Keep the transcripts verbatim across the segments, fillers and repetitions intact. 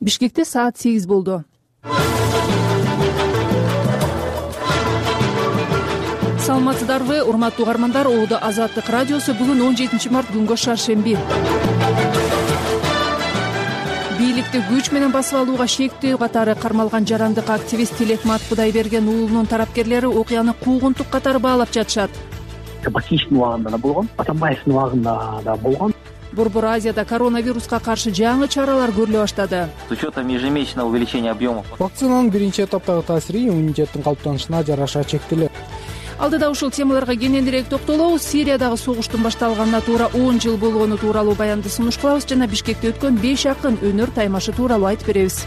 Бишкекте саат сегиз болду. Саламатсыздарбы, урматтуу угармандар. Оодо Азаттык радиосу бүгүн он жетинчи март күнгө шаршемби. Бийликти күч менен басып алууга шектөө катары кармалган жарандык активист Тилекмат Кудайберген уулунун тарапкерлери окуяны куугунтук катары баалап жатышат. Батиштин убагында да болгон, Атамбаевдин убагында да болгон. Борбор Азияда коронавируска каршы жаңы чаралар көрүлө баштады. С учетом ежемесячного увеличения объемов. Вакцинанын биринчи этаптагы таасири иммунитеттин калыптанышына жараша чектелет. Алдыда ушул темаларга кененирээк токтолобуз. Сириядагы согуштун башталганына туура он жыл болгону тууралуу баянды сунуш кылабыз жана Бишкекте өткөн беш акын өнөр таймашы тууралуу айтып беребиз.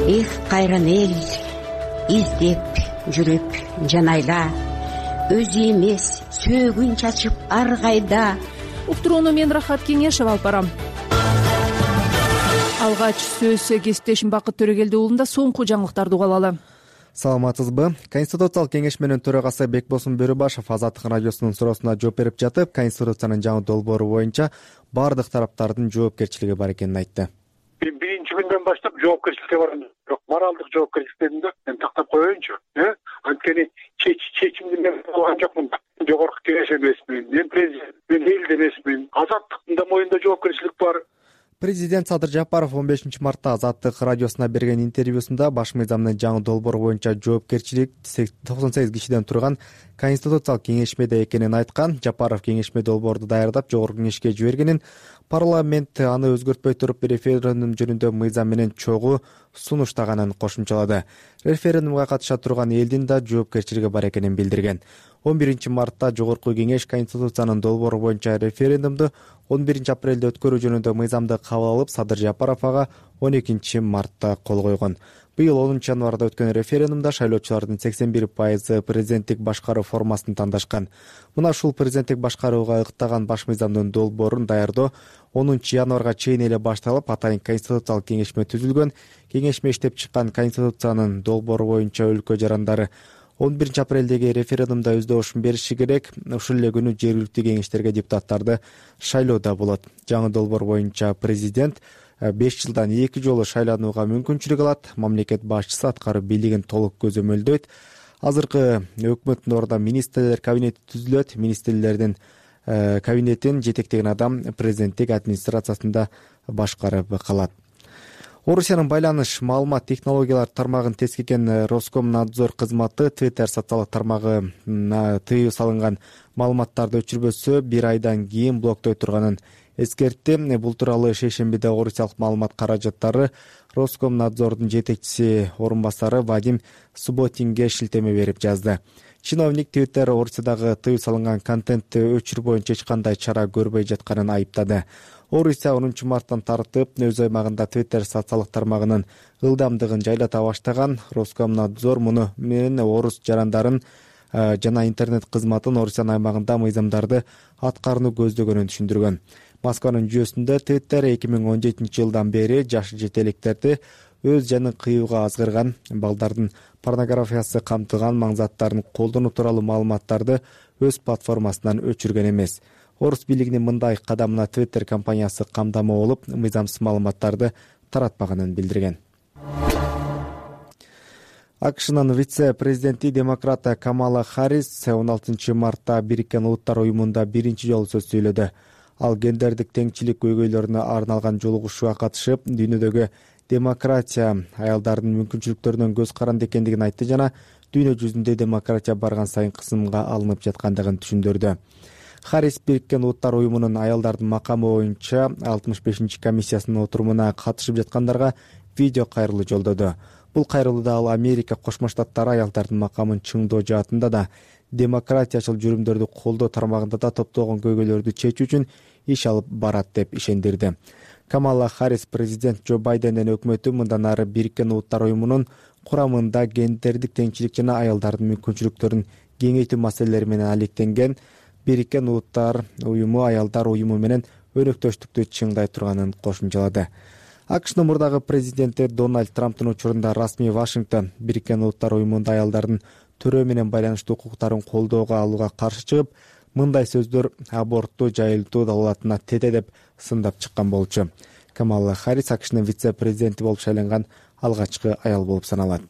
Эх, кайран эл, издеп жүрүп жанайла, өзү эмес сөөгүн чачып ар кайда. Уктурууну мен Рахат Кеңешева алып барам. Алгач сөз кесиптешим Бакыт Төрөгелди уулунда соңку жаңылыктарды угалалы. Саламатсызбы? Конституциялык кеңеш менен төрагасы Бекбосун Бөрөбашев Азаттык радиосунун суроосуна жооп берип жатып, Конституциянын жаңы долбоору боюнча бардык тараптардын жоопкерчилиги бар экенин айтты. Биринчи күндөн баштап жоопкерчиликке барам. Бирок моралдык жоопкерчиликтерди мен тактап коеюнчу. Анткени чечимди мен алган жокмун. Жогорку кеңеш эмесмин, мен президент, мен эл эмесмин. Азаттыктын да моюнда жоопкерчилик бар. Президент Садыр Жапаров он бешинчи мартта Азаттык радиосуна берген интервьюсунда баш мыйзамдын жаңы долбоору боюнча жоопкерчилик токсон сегиз кишиден турган Конституциялык кеңешмеде экенин айткан. Жапаров кеңешме долбоорду даярдап жогорку кеңешке жибергенин, парламент аны өзгөртпөй туруп референдум жөнүндө мыйзам менен чогуу сунуштаганын кошумчалады. Референдумга катыша турган элдин да жоопкерчилиги бар экенин билдирген. он биринчи мартта жогорку кеңеш Конституциянын долбоору боюнча референдумду он биринчи апрелде өткөрүү жөнүндө мыйзамды кабыл алып, Садыр Жапаров ага он экинчи мартта кол койгон. Быйыл онунчу январда өткөн референдумда шайлоочулардын сексен бир пайызы президенттик башкаруу формасын тандашкан. Мына ушул президенттик башкарууга ыктаган баш мыйзамдын долбоорун даярдоо онунчу январга чейин эле башталып, атайын Конституциялык кеңешме түзүлгөн. Кеңешме иштеп чыккан Конституциянын долбоору боюнча өлкө жарандары он биринчи апрелдеги референдумда өз добушун бериши керек. Ушул эле күнү жергиликтүү кеңештерге депутаттарды шайлоодо болот. Жаңы долбоор боюнча президент беш жылдан эки жолу шайланууга мүмкүнчүлүк алат. Мамлекет башчысы аткаруу бийлигин толук көзөмөлдөйт. Азыркы өкмөттүн ордуна министрлер кабинети түзүлөт. Министрлердин кабинетин жетектеген адам президенттик администрациясында башкарып калат. Орусиянын байланыш маалымат технологиялар тармагын тескерген Роскомнадзор кызматы Twitter социалдык тармагына тыюу салынган маалыматтарды өчүрбөсө бир айдан кийин блоктой турганын эскертти. Бул тууралуу шейшембиде орусиялык маалымат каражаттары Роскомнадзордун жетекчиси орун басары Вадим Субботинге шилтеме берип жазды. Чиновник Twitter Орусиядагы тыюу салынган контентти өчүрүү боюнча эч кандай чара көрбөй жатканын айыптады. Орусия онунчу марттан тартып өз аймагында Twitter социалдык тармагынын ылдамдыгын жайлата баштаган. Роскомнадзор муну менен орус жарандарын жана интернет кызматын Орусиянын аймагында мыйзамдарды аткарууну көздөгөнүн түшүндүргөн. Москванын жүйөсүндө Twitter эки миң он жетинчи жылдан бери жаш жетеликтерди өз жанын кыюуга азгырган, балдардын порнографиясы камтылган маңзаттарын колдонуу тууралуу маалыматтарды өз платформасынан өчүргөн эмес. Орус бийлигинин мындай кадамына Twitter компаниясы камдама болуп, мыйзамсыз маалыматтарды таратпаганын билдирген. АКШнын вице-президенти демократ Камала Харрис он алтынчы мартта Бириккен Улуттар уюмунда биринчи жолу сөз сүйлөдү. Ал гендердик теңчилик көйгөйлөрүнө арналган жолугушууга катышып, дүйнөдөгү демократия аялдардын мүмкүнчүлүктөрүнөн көз каранды экендигин айтты жана дүйнө жүзүндө демократия барган сайын кысымга алынып жаткандыгын түшүндүрдү. Харрис Бириккен Улуттар уюмунун аялдардын макамы боюнча алтымыш бешинчи комиссиясынын отурумуна катышып жаткандарга видео кайрылуу жолдоду. Бул кайрылууда ал Америка Кошмо Штаттары аялдардын макамын чыңдоо жаатында да, демократиячыл жүрүмдөрдү колдоо тармагында да топтогон көйгөйлөрдү чечүү үчүн иш алып барат деп ишендирди. Камала Харрис президент Джо Байдендин өкмөтү мындан ары Бириккен Улуттар уюмунун курамында гендердик теңчилик жана аялдардын мүмкүнчүлүктөрүн кеңейтүү маселелери менен алектенген. Бириккен Улуттар уюму аялдар уюму менен өнөктөштүктү чыңдай турганын кошумчалады. АКШнын мурдагы президенти Дональд Трамптын учурунда расмий Вашингтон Бириккен Улуттар уюмунда аялдардын төрөө менен байланыштуу укуктарын колдоого алууга каршы чыгып, мындай сөздөр абортту жайылтуу далалатына тете деп сындап чыккан болчу. Камала Харрис АКШнын вице-президенти болуп шайланган алгачкы аял болуп саналат.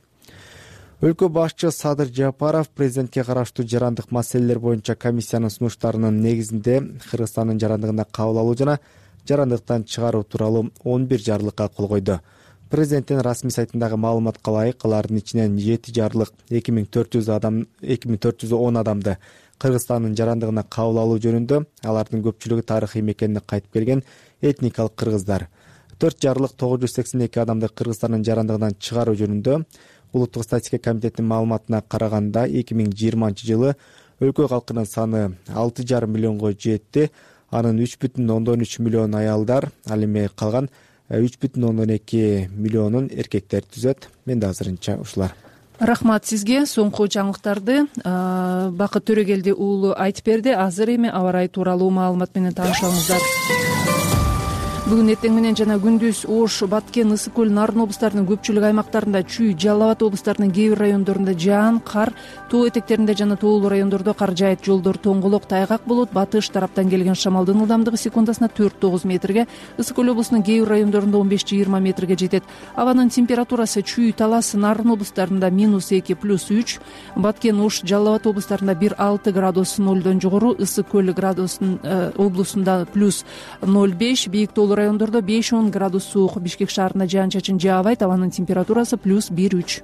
Өлкө башчы Садыр Жапаров президентке караштуу жарандык маселелер боюнча комиссиянын сунуштарынын негизинде Кыргызстандын жарандыгына кабыл алуу жана жарандыктан чыгаруу тууралуу он бир жарлыкка кол койду. Президенттин расмий сайтындагы маалыматка ылайык алардын ичинен жети жарлык эки миң төрт жүз адам эки миң төрт жүз он адамды Кыргызстандын жарандыгына кабыл алуу жөнүндө, алардын көпчүлүгү тарыхый мекенине кайтып келген этникалык кыргыздар. төрт жарлык тогуз жүз сексен эки адамды Кыргызстандын жарандыгынан чыгаруу жөнүндө. Улуттук статистика комитетинин маалыматына караганда эки миң жыйырманчы жылы өлкө калкынын саны алты жарым миллионго жетти. Анын үч бүтүн ондон үч миллион аялдар, ал эми калган үч бүтүн ондон эки миллионун эркектер түзөт. Менде азырынча ушулар. Рахмат сизге. Соңку жаңылыктарды Бакыт Төрөгелди уулу айтып берди. Азыр эми аба ырайы тууралуу маалымат менен таанышабыздар. Бүгүн эртең менен жана күндүз Ош, Баткен, Ысык көл, Нарын облустарынын көпчүлүк аймактарында, Чүй, Жалал Абад облустарынын кээ бир райондорунда жаан, кар, тоо этектеринде жана тоолуу райондордо кар жаайт. Жолдор тоңголок, тайгак болот. Батыш тараптан келген шамалдын ылдамдыгы секундасына төрт тогуз метрге, Ысык көл облусунун кээ бир райондорунда он беш жыйырма метрге жетет. Абанын температурасы Чүй, Талас, Нарын облустарында минус эки плюс үч, Баткен, Ош, Жалал Абад облустарында бир алты градус нолдон жогору, Ысык көл градусун облусунда плюс ноль беш, бийик тоолуу райондордо беш он градус суук. Бишкек шаарында жаан-чачын жаабайт. Абанын температурасы плюс бир үч.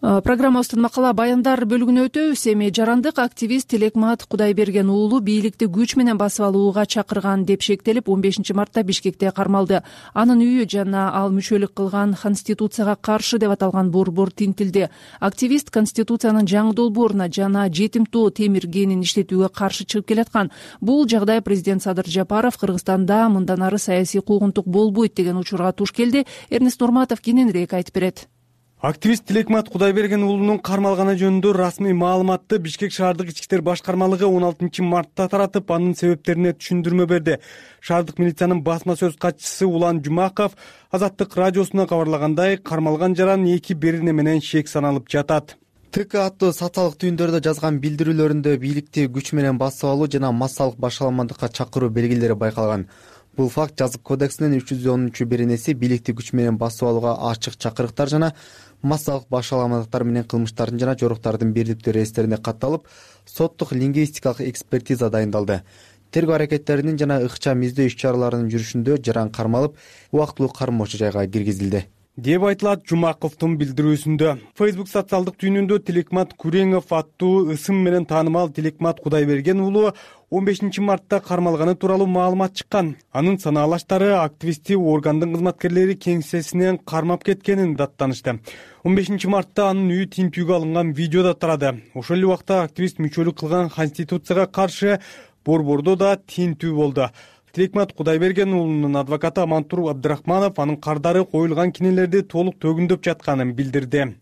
Программабыздын макала баяндар бөлүгүнө өтөбүз. Эми жарандык активист Тилекмат Кудайберген уулу бийликти күч менен басып алууга чакырган деп шектелип, он бешинчи мартта Бишкекте кармалды. Анын үйү жана ал мүчөлүк кылган Конституцияга каршы деп аталган борбор тинтилди. Активист Конституциянын жаңы долбооруна жана жетим тоо темир кенин иштетүүгө каршы чыгып келаткан. Бул жагдай президент Садыр Жапаров Кыргызстанда мындан ары саясий куугунтук болбойт деген учурга туш келди. Эрнест Нурматов кененирээк айтып берет. Активист Тилекмат Кудайберген уулунун кармалганы жөнүндө расмий маалыматты Бишкек шаардык ички иштер башкармалыгы он алтынчы мартта таратып, анын себептерине түшүндүрмө берди. Шаардык милициянын басма сөз катчысы Улан Жумаков Азаттык радиосуна кабарлагандай, кармалган жаран эки берине менен шек саналып жатат. ТК аттуу социалдык түйүндөрдө жазган билдирүүлөрүндө бийликти күч менен басып алуу жана массалык башаламандыкка чакыруу белгилери байкалган. Бул факт жазык кодексинин үч жүз онунчу беренеси бийликти күч менен басып алууга ачык чакырыктар жана массалык башаламандыктар менен кылмыштардын жана жоруктардын бирликтүү реестрине катталып, соттук лингвистикалык экспертиза дайындалды. Тергөө аракеттеринин жана ыкчам издөө иш-чараларынын жүрүшүндө жаран кармалып, убактылуу кармоочу жайга киргизилди деп айтылат Жумаковдун билдирүүсүндө. Facebook социалдык түйүнүндө Тилекмат Күреңов аттуу ысым менен таанымал Тилекмат Кудайберген уулу он бешинчи мартта кармалганы тууралуу маалымат чыккан. Анын санаалаштары активисти органдын кызматкерлери кеңсесинен кармап кеткенин даттанышты. он бешинчи мартта анын үйү тинтүүгө алынган видео да тарады. Ошол эле убакта активист мүчөлүк кылган Конституцияга каршы борбордо да тинтүү болду. Тилекмат Кудайберген уулунун адвокаты Амантур Абдырахманов анын кардары коюлган кинелерди толук төгүндөп жатканын билдирди.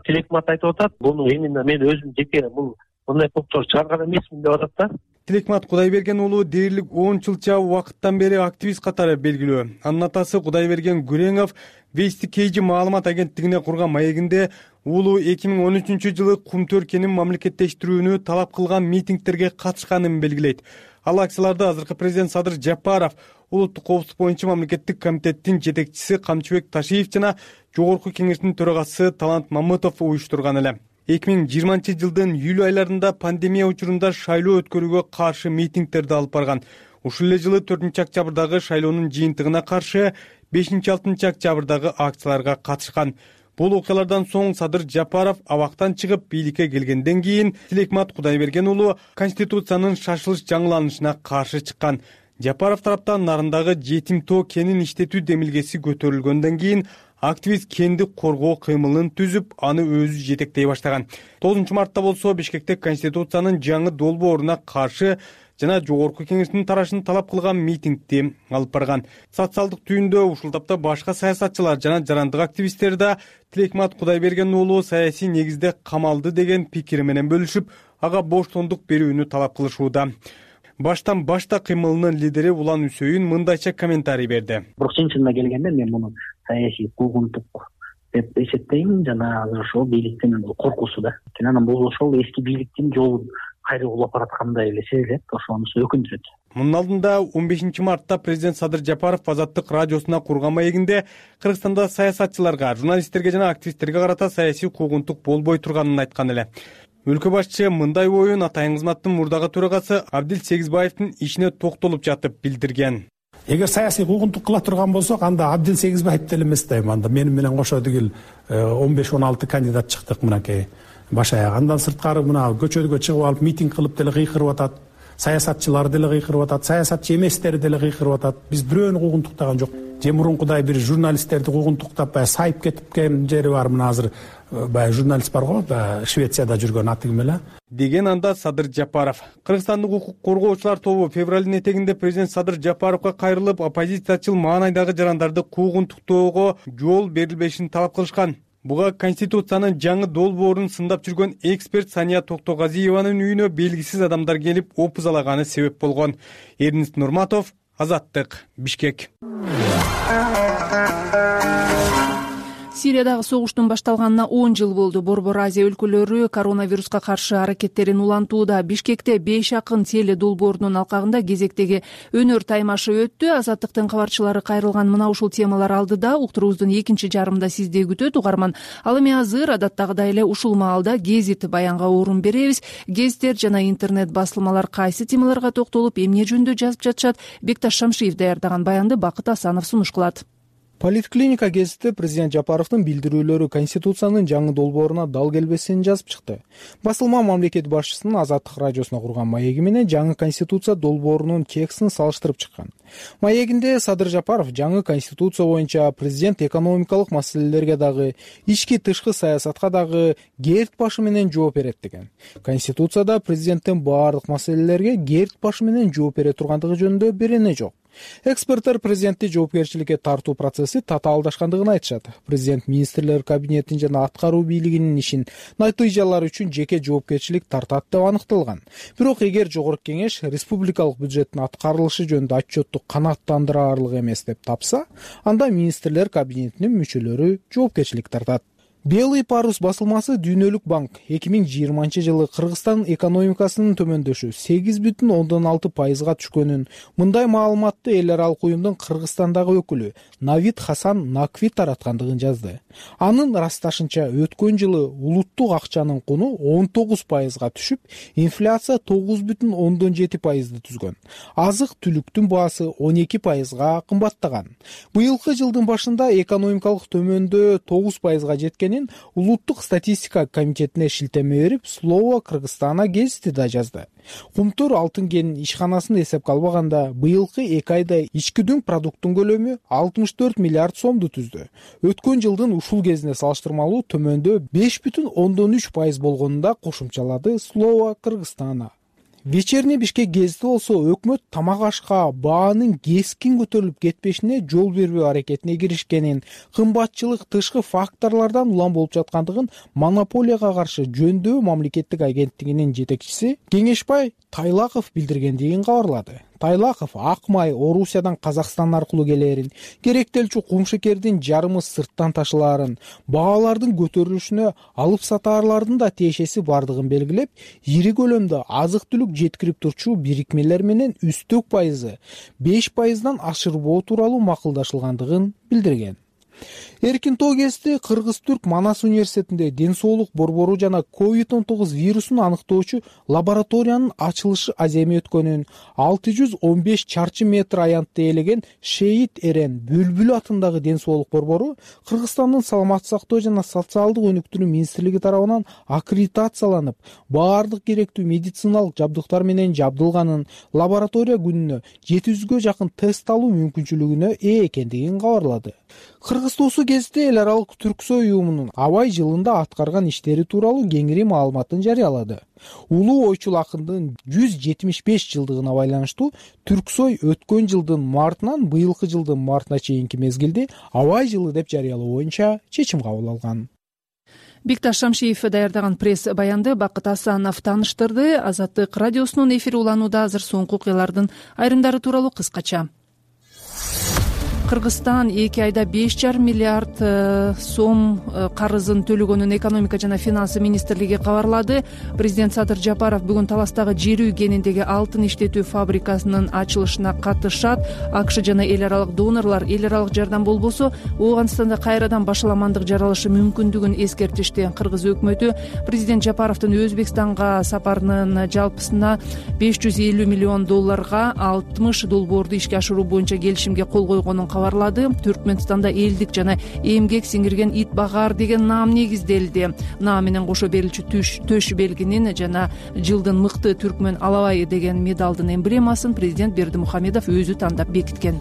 Тилекмат айтып атат, буну именно мен өзүм жеке бул мындай топтор чыгарган эмесмин деп атат да. Тилекмат Кудайберген уулу дээрлик он жылча убакыттан бери активист катары белгилүү. Анын атасы Кудайберген Күреңов Вести Кейжи маалымат агенттигине курган маегинде уулу эки миң он үчүнчү жылы Кумтөр кенин мамлекеттештирүүнү талап кылган митингдерге катышканын белгилейт. Ал акцияларды азыркы президент Садыр Жапаров, улуттук коопсуздук боюнча мамлекеттик комитеттин жетекчиси Камчыбек Ташиев жана жогорку кеңештин төрагасы Талант Мамытов уюштурган эле. эки миң жыйырманчы жылдын июль айларында пандемия учурунда шайлоо өткөрүүгө каршы митингдерди алып барган. Ушул эле жылы төртүнчү октябрдагы шайлоонун жыйынтыгына каршы бешинчи алтынчы октябрдагы акцияларга катышкан. Бул окуялардан соң Садыр Жапаров абактан чыгып бийликке келгенден кийин Тилекмат Кудайберген уулу Конституциянын шашылыш жаңыланышына каршы чыккан. Жапаров тараптан Нарындагы жетим тоо кенин иштетүү демилгеси көтөрүлгөндөн кийин активист кенди коргоо кыймылын түзүп, аны өзү жетектей баштаган. тогузунчу мартта болсо Бишкекте Конституциянын жаңы долбооруна каршы жана жогорку кеңештин тарашын талап кылган митингди алып барган. Социалдык түйүндө ушул тапта башка саясатчылар жана жарандык активисттер да Тилекмат Кудайберген уулу саясий негизде камалды деген пикир менен бөлүшүп, ага боштондук берүүнү талап кылышууда. Баштан башта кыймылынын лидери Улан Үсөйүн мындайча комментарий берди. Бирок чын-чынында келгенде мен муну саясий куугунтук деп эсептейм жана азыр ошол бийликтин коркусу да. Анан бул ошол эски бийликтин жолу кайра улап бараткандай эле сезилет, ошонусу өкүндүрөт. Мунун алдында он бешинчи мартта президент Садыр Жапаров Азаттык радиосуна курган маегинде Кыргызстанда саясатчыларга, журналисттерге жана активисттерге карата саясий куугунтук болбой турганын айткан эле. Өлкө башчысы мындай оюн Атайын кызматтын мурдагы төрагасы Абдил Сегизбаевдин ишине токтолуп жатып билдирген. Эгер саясий куугунтук кыла турган болсок, анда Абдил Сегизбаев деле эмес дейм. Анда менин менен кошо дегил он беш он алты кандидат чыктык мынакей баш аяк. Андан сырткары мына көчөгө чыгып алып митинг кылып деле кыйкырып атат. Саясатчылар деле кыйкырып атат, саясатчы эместер деле кыйкырып атат. Биз бирөөнү куугунтуктаган жок. Же мурункудай бир журналисттерди куугунтуктап баягы сайып кеткен жери бар. Мына азыр баягы журналист бар го, баягы Швецияда жүргөн аты ким эле? Деген анда Садыр Жапаров. Кыргызстандык укук коргоочулар тобу февралдын этегинде президент Садыр Жапаровго кайрылып, оппозициячыл маанайдагы жарандарды куугунтуктоого жол берилбешин талап кылышкан. Буга Конституциянын жаңы долбоорун сындап жүргөн эксперт Сания Токтогазиеванын үйүнө белгисиз адамдар келип опузалаганы себеп болгон. Эрнист Нурматов, Азаттык, Бишкек. Сириядагы согуштун башталганына он жыл болду. Борбор Азия өлкөлөрү коронавируска каршы аракеттерин улантууда. Бишкекте беш акын теле долбоорунун алкагында кезектеги өнөр таймашы өттү. Азаттыктын кабарчылары кайрылган мына ушул темалар алдыда уктуруубуздун экинчи жарымында сизди күтөт угарман. Ал эми азыр адаттагыдай эле ушул маалда гезит баянга орун беребиз. Гезиттер жана интернет басылмалар кайсы темаларга токтолуп, эмне жөнүндө жазып жатышат? Бекташ Шамшиев даярдаган баянды Бакыт Асанов сунуш кылат. Политклиника гезити президент Жапаровдун билдирүүлөрү Конституциянын жаңы долбооруна дал келбесин жазып чыкты. Басылма мамлекет башчысынын Азаттык радиосуна курган маеги менен жаңы Конституция долбоорунун текстин салыштырып чыккан. Маегинде Садыр Жапаров жаңы Конституция боюнча президент экономикалык маселелерге дагы, ички тышкы саясатка дагы герт башы менен жооп берет деген. Конституцияда президенттин баардык маселелерге герт башы менен жооп бере тургандыгы жөнүндө берене жок. Эксперттер президентти жоопкерчиликке тартуу процесси татаалдашкандыгын айтышат. Президент министрлер кабинетин жана аткаруу бийлигинин ишин натыйжалары үчүн жеке жоопкерчилик тартат деп аныкталган. Бирок эгер жогорку кеңеш республикалык бюджеттин аткарылышы жөнүндө отчетту канааттандыраарлык эмес деп тапса, анда министрлер кабинетинин мүчөлөрү жоопкерчилик тартат. Белый парус басылмасы Дүйнөлүк банк эки миң жыйырманчы жылы Кыргызстан экономикасынын төмөндөшү сегиз бүтүн ондон алты пайызга түшкөнүн, мындай маалыматты эл аралык уюмдун Кыргызстандагы өкүлү Навид Хасан Накви тараткандыгын жазды. Анын ырасташынча өткөн жылы улуттук акчанын куну он тогуз пайызга түшүп, инфляция тогуз бүтүн ондон жети пайызды түзгөн. Азык-түлүктүн баасы он эки пайызга кымбаттаган. Быйылкы жылдын башында экономикалык төмөндөө тогуз пайызга жеткен Улуттук статистика комитетине шилтеме берип, Слово Кыргызстана гезити да жазды. Кумтур алтын кен ишканасын эсепке албаганда, быйылкы эки айда ички дүң продукттун көлөмү алтымыш төрт миллиард сомду түздү. Өткөн жылдын ушул кезине салыштырмалуу төмөндөө беш бүтүн ондон үч пайыз болгонунда кошумчалады Слово Кыргызстана. Вечерний Бишкек гезити болсо өкмөт тамак ашка баанын кескин көтөрүлүп кетпешине жол бербөө аракетине киришкенин, кымбатчылык тышкы факторлордон улам болуп жаткандыгын монополияга каршы жөндөө мамлекеттик агенттигинин жетекчиси Кеңешбай Тайлаков билдиргендигин кабарлады. Тайлаков ак май Орусиядан Казакстан аркылуу келерин, керектелчү кумшекердин жарымы сырттан ташылаарын, баалардын көтөрүлүшүнө алып сатаарлардын да тиешеси бардыгын белгилеп, ири көлөмдө азык-түлүк жеткирип турчу бирикмелер менен үстөк пайызы беш пайыздан ашырбоо тууралуу макулдашылгандыгын билдирген. Эркин тоо гезити Кыргыз-Түрк Манас университетинде ден соолук борбору жана ковид он тогуз вирусун аныктоочу лабораториянын ачылышы аземи өткөнүн, алты жүз он беш чарчы метр аянтты ээлеген Шейит Эрен Бүлбүл атындагы ден соолук борбору Кыргызстандын саламаттык сактоо жана социалдык өнүктүрүү министрлиги тарабынан аккредитацияланып, баардык керектүү медициналык жабдыктар менен жабдылганын, лаборатория күнүнө жети жүзгө жакын тест алуу мүмкүнчүлүгүнө ээ экендигин кабарлады. Кыргыз тоосу гезити эл аралык Түрксой уюмунун абай жылында аткарган иштери тууралуу кеңири маалыматын жарыялады. Улуу ойчул акындын жүз жетимиш беш жылдыгына байланыштуу Түрксой өткөн жылдын мартынан быйылкы жылдын мартына чейинки мезгилди абай жылы деп жарыялоо боюнча чечим кабыл алган. Бекташ Шамшиев даярдаган пресс баянды Бакыт Асанов тааныштырды. Азаттык радиосунун эфири уланууда азыр соңку окуялардын айрымдары тууралуу кыскача. Кыргызстан эки айда беш жарым миллиард сом карызын төлөгөнүн экономика жана финансы министрлиги кабарлады. Президент Садыр Жапаров бүгүн Таластагы жер үй кениндеги алтын иштетүү фабрикасынын ачылышына катышат. АКШ жана эл аралык донорлор эл аралык жардам болбосо Ооганстанда кайрадан башаламандык жаралышы мүмкүндүгүн эскертишти. Кыргыз өкмөтү президент Жапаровдун Өзбекстанга сапарынын жалпысына беш жүз элүү миллион долларга алтымыш долбоорду ишке ашыруу боюнча келишимге кол койгонун кабарлады. Түркмөнстанда элдик жана эмгек сиңирген ит багаар деген наам негизделди. Наам менен кошо берилчү төш белгинин жана жылдын мыкты түркмөн алабайы деген медалдын эмблемасын президент Бердимухамедов өзү тандап бекиткен.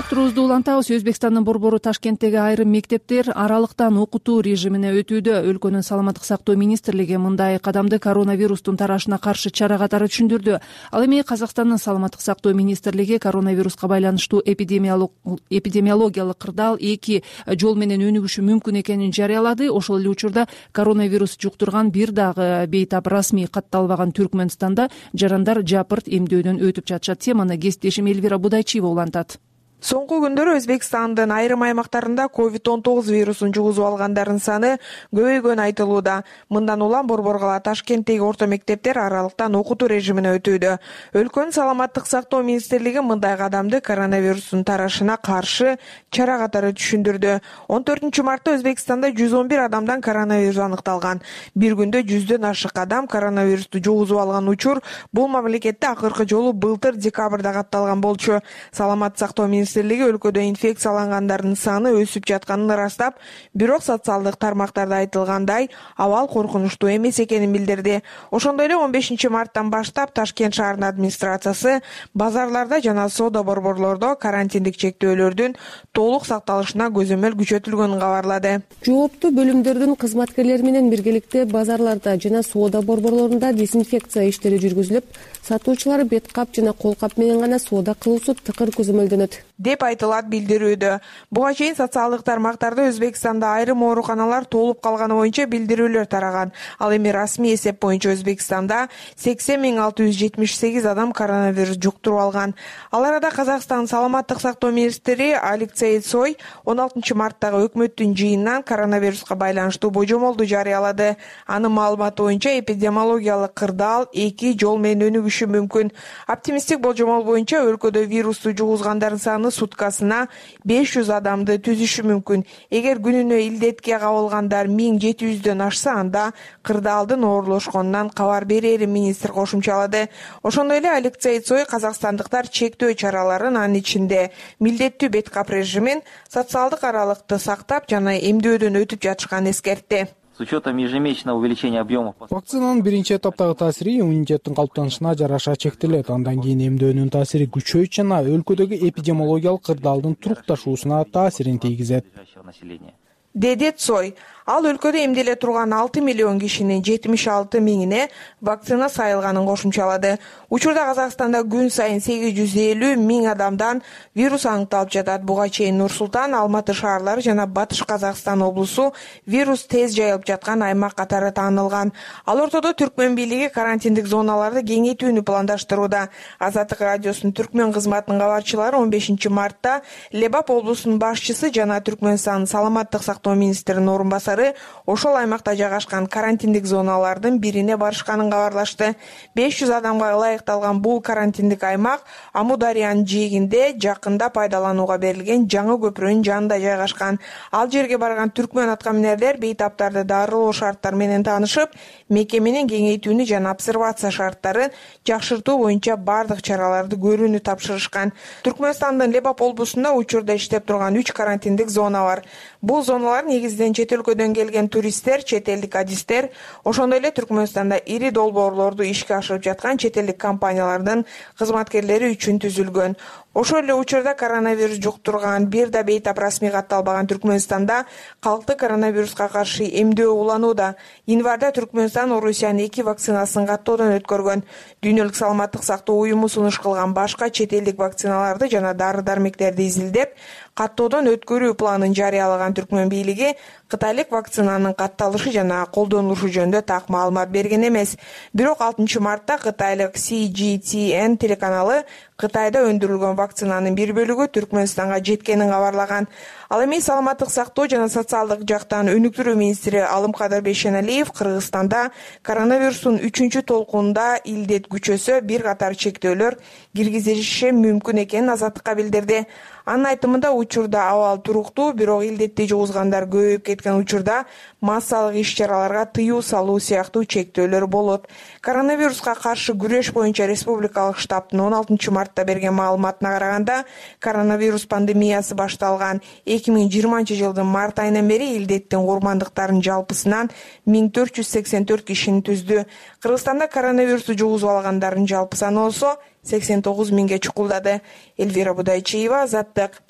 Турубузду улантабыз. Өзбекстандын борбору Ташкенттеги айрым мектептер аралыктан окутуу режимине өтүүдө. Өлкөнүн саламаттык сактоо министрлиги мындай кадамды коронавирустун тарашына каршы чара катары түшүндүрдү. Ал эми Казакстандын саламаттык сактоо министрлиги коронавируска байланыштуу эпидемиологиялык кырдаал эки жол менен өнүгүшү мүмкүн экенин жарыялады. Ошол эле учурда коронавирус жуктурган бир дагы бейтап расмий катталбаган Түркмөнстанда жарандар жапырт эмдөөдөн өтүп жатышат. Теманы кесиптешим Элвира Будайчиева улантат. Соңку күндөрү Өзбекстандын айрым аймактарында ковид он тогуз вирусун жугузуп алгандардын саны көбөйгөнү айтылууда. Мындан улам борбор кала Ташкенттеги орто мектептер аралыктан окутуу режимине өтүүдө. Өлкөнүн саламаттык сактоо министрлиги мындай кадамды коронавирустун тарашына каршы чара катары түшүндүрдү. он төртүнчү мартта Өзбекстанда жүз он бир адамдан коронавирус аныкталган. Бир күндө жүздөн ашык адам коронавирусту жугузуп алган учур бул мамлекетте акыркы жолу былтыр декабрда катталган болчу. Саламаттык сактоо министрлиги өлкөдө инфекциялангандардын саны өсүп жатканын ырастап, бирок социалдык тармактарда айтылгандай абал коркунучтуу эмес экенин билдирди. Ошондой эле он бешинчи марттан баштап Ташкент шаарынын администрациясы базарларда жана соода борборлордо карантиндик чектөөлөрдүн толук сакталышына көзөмөл күчөтүлгөнүн кабарлады. Жооптуу бөлүмдөрдүн кызматкерлери менен биргеликте базарларда жана соода борборлорунда дезинфекция иштери жүргүзүлүп, сатуучулар бет кап жана кол кап менен гана соода кылуусу тыкыр көзөмөлдөнөт деп айтылат билдирүүдө. Буга чейин социалдык тармактарда Өзбекстанда айрым ооруканалар толуп калганы боюнча билдирүүлөр тараган. Ал эми расмий эсеп боюнча Өзбекстанда сексен миң алты жүз жетимиш сегиз адам коронавирус жуктуруп алган. Ал арада Казакстан саламаттык сактоо министри Алексей Цой он алтынчы марттагы өкмөттүн жыйынынан коронавируска байланыштуу божомолду жарыялады. Анын маалыматы боюнча эпидемиологиялык кырдаал эки жол менен өнүгүшү мүмкүн. Оптимисттик божомол боюнча өлкөдө вирусту жугузгандардын саны суткасына беш жүз адамды түзүшү мүмкүн. Эгер күнүнө илдетке кабылгандар миң жети жүздөн ашса, анда кырдаалдын оорлошконунан кабар берерин министр кошумчалады. Ошондой эле Алексей Цой казакстандыктар чектөө чараларын, анын ичинде милдеттүү бет кап режимин, социалдык аралыкты сактап жана эмдөөдөн өтүп жатышканын эскертти. С учетом ежемесячного увеличения объемов. Вакцинанын биринчи эtaптагы таасири иммунитеттин калыптанышына жараша чектелет. Андан кийин эмдөөнүн таасири күчөйт жана өлкөдөгү эпидемиологиялык кырдаалдын турукташуусуна таасирин тийгизет, деди Цой. Ал өлкөдө эмделе турган алты миллион кишинин жетимиш алты миңине вакцина сайылганын кошумчалады. Учурда Казакстанда күн сайын сегиз жүз элүү миң адамдан вирус аныкталып жатат. Буга чейин Нур Султан, Алматы шаарлары жана Батыш Казакстан облусу вирус тез жайылып жаткан аймак катары таанылган. Ал ортодо Түркмөн бийлиги карантиндик зоналарды кеңейтүүнү пландаштырууда. Азаттык радиосунун Түркмөн кызматынын кабарчылары он бешинчи мартта Лебап облусунун башчысы жана Түркмөнстандын саламаттык сактоо министринин орун басары ошол аймакта жайгашкан карантиндик зоналардын бирине барышканын кабарлашты. беш жүз адамга ылайыкталган бул карантиндик аймак Амударыянын жээгинде жакында пайдаланууга берилген жаңы көпүрөнүн жанында жайгашкан. Ал жерге барган түркмөн аткаминерлер бейтаптарды дарылоо шарттары менен таанышып, мекеменин кеңейтүүнү жана обсервация шарттарын жакшыртуу боюнча бардык чараларды көрүүнү тапшырышкан. Түркмөнстандын Лебап облусунда учурда иштеп турган үч карантиндик зона бар. Бул зоналар негизинен чет өлкөдөн келген туристтер, чет элдик адистер, ошондой эле Түркмөнстанда ири долбоорлорду ишке ашырып жаткан чет элдик компаниялардын кызматкерлери үчүн түзүлгөн. Ошол эле учурда коронавирус жуктурган бир да бейтап расмий катталбаган Түркмөнстанда калкты коронавируска каршы эмдөө уланууда. Январда Түркмөнстан Орусиянын эки вакцинасын каттоодон өткөргөн. Дүйнөлүк саламаттык сактоо уюму сунуш кылган башка чет элдик вакциналарды жана дары-дармектерди изилдеп, каттоодон өткөрүү планын жарыялаган Түркмөн бийлиги кытайлык вакцинанын катталышы жана колдонулушу жөнүндө так маалымат берген эмес. Бирок алтынчы мартта кытайлык Си Джи Ти Эн телеканалы Кытайда өндүрүлгөн вакцинанын бир бөлүгү Түркмөнстанга жеткенин кабарлаган. Ал эми саламаттык сактоо жана социалдык жактан өнүктүрүү министри Алымкадыр Бейшеналиев Кыргызстанда коронавирустун үчүнчү толкунунда илдет күчөсө бир катар чектөөлөр киргизилиши мүмкүн экенин азаттыкка билдирди. Анын айтымында учурда абал туруктуу, бирок илдетти жугузгандар көбөйүп кеткен учурда массалык иш-чараларга тыюу салуу сыяктуу чектөөлөр болот. Коронавируска каршы күрөш боюнча республикалык штабтын он алтынчы мартта берген маалыматына караганда, коронавирус пандемиясы башталган эки миң жыйырманчы жылдын март айынан бери илдеттин курмандыктарынын жалпысынан миң төрт жүз сексен төрт кишини түздү. Кыргызстанда коронавирусту жугузуп алгандардын жалпы саны болсо сексен тогуз миңге чукулдады. Эльвира Будайчиева, Азаттык.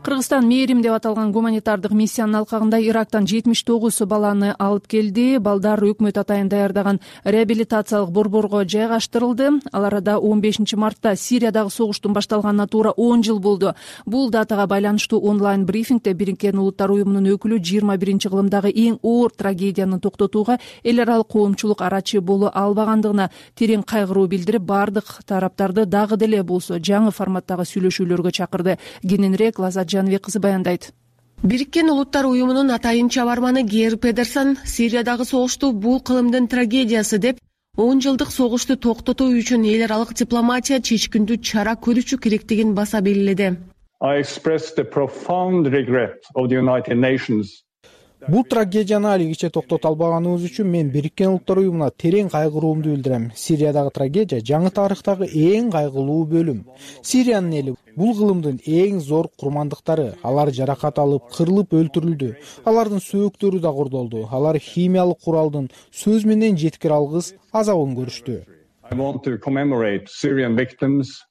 Кыргызстан Мээрим деп аталган гуманитардык миссиянын алкагында Ирактан жетимиш тогуз баланы алып келди. Балдар өкмөт атайын даярдаган реабилитациялык борборго жайгаштырылды. Ал арада он бешинчи мартта Сириядагы согуштун башталганына туура он жыл болду. Бул датага байланыштуу онлайн брифингде Бириккен Улуттар уюмунун өкүлү жыйырма биринчи кылымдагы эң оор трагедияны токтотууга эл аралык коомчулук арачы боло албагандыгына терең кайгыруу билдирип, бардык тараптарды дагы деле болсо жаңы форматтагы сүйлөшүүлөргө чакырды. Кененирээк Лазат Жаныбек кызы баяндайт. Бириккен Улуттар уюмунун атайын чабарманы Гейр Педерсон Сириядагы согушту бул кылымдын трагедиясы деп, он жылдык согушту токтотуу үчүн эл аралык дипломатия чечкиндүү чара көрүшү керектигин баса белгиледи. I express the profound regret of the United Nations. Бул трагедияны алигиче токтото албаганыбыз үчүн мен Бириккен Улуттар уюмуна терең кайгыруумду билдирем. Сириядагы трагедия жаңы тарыхтагы эң кайгылуу бөлүм. Сириянын эли бул кылымдын эң зор курмандыктары. Алар жаракат алып, кырылып өлтүрүлдү. Алардын сөөктөрү да кордолду. Алар химиялык куралдын сөз менен жеткире алгыс азабын көрүштү. I want to commemorate Syrian victims.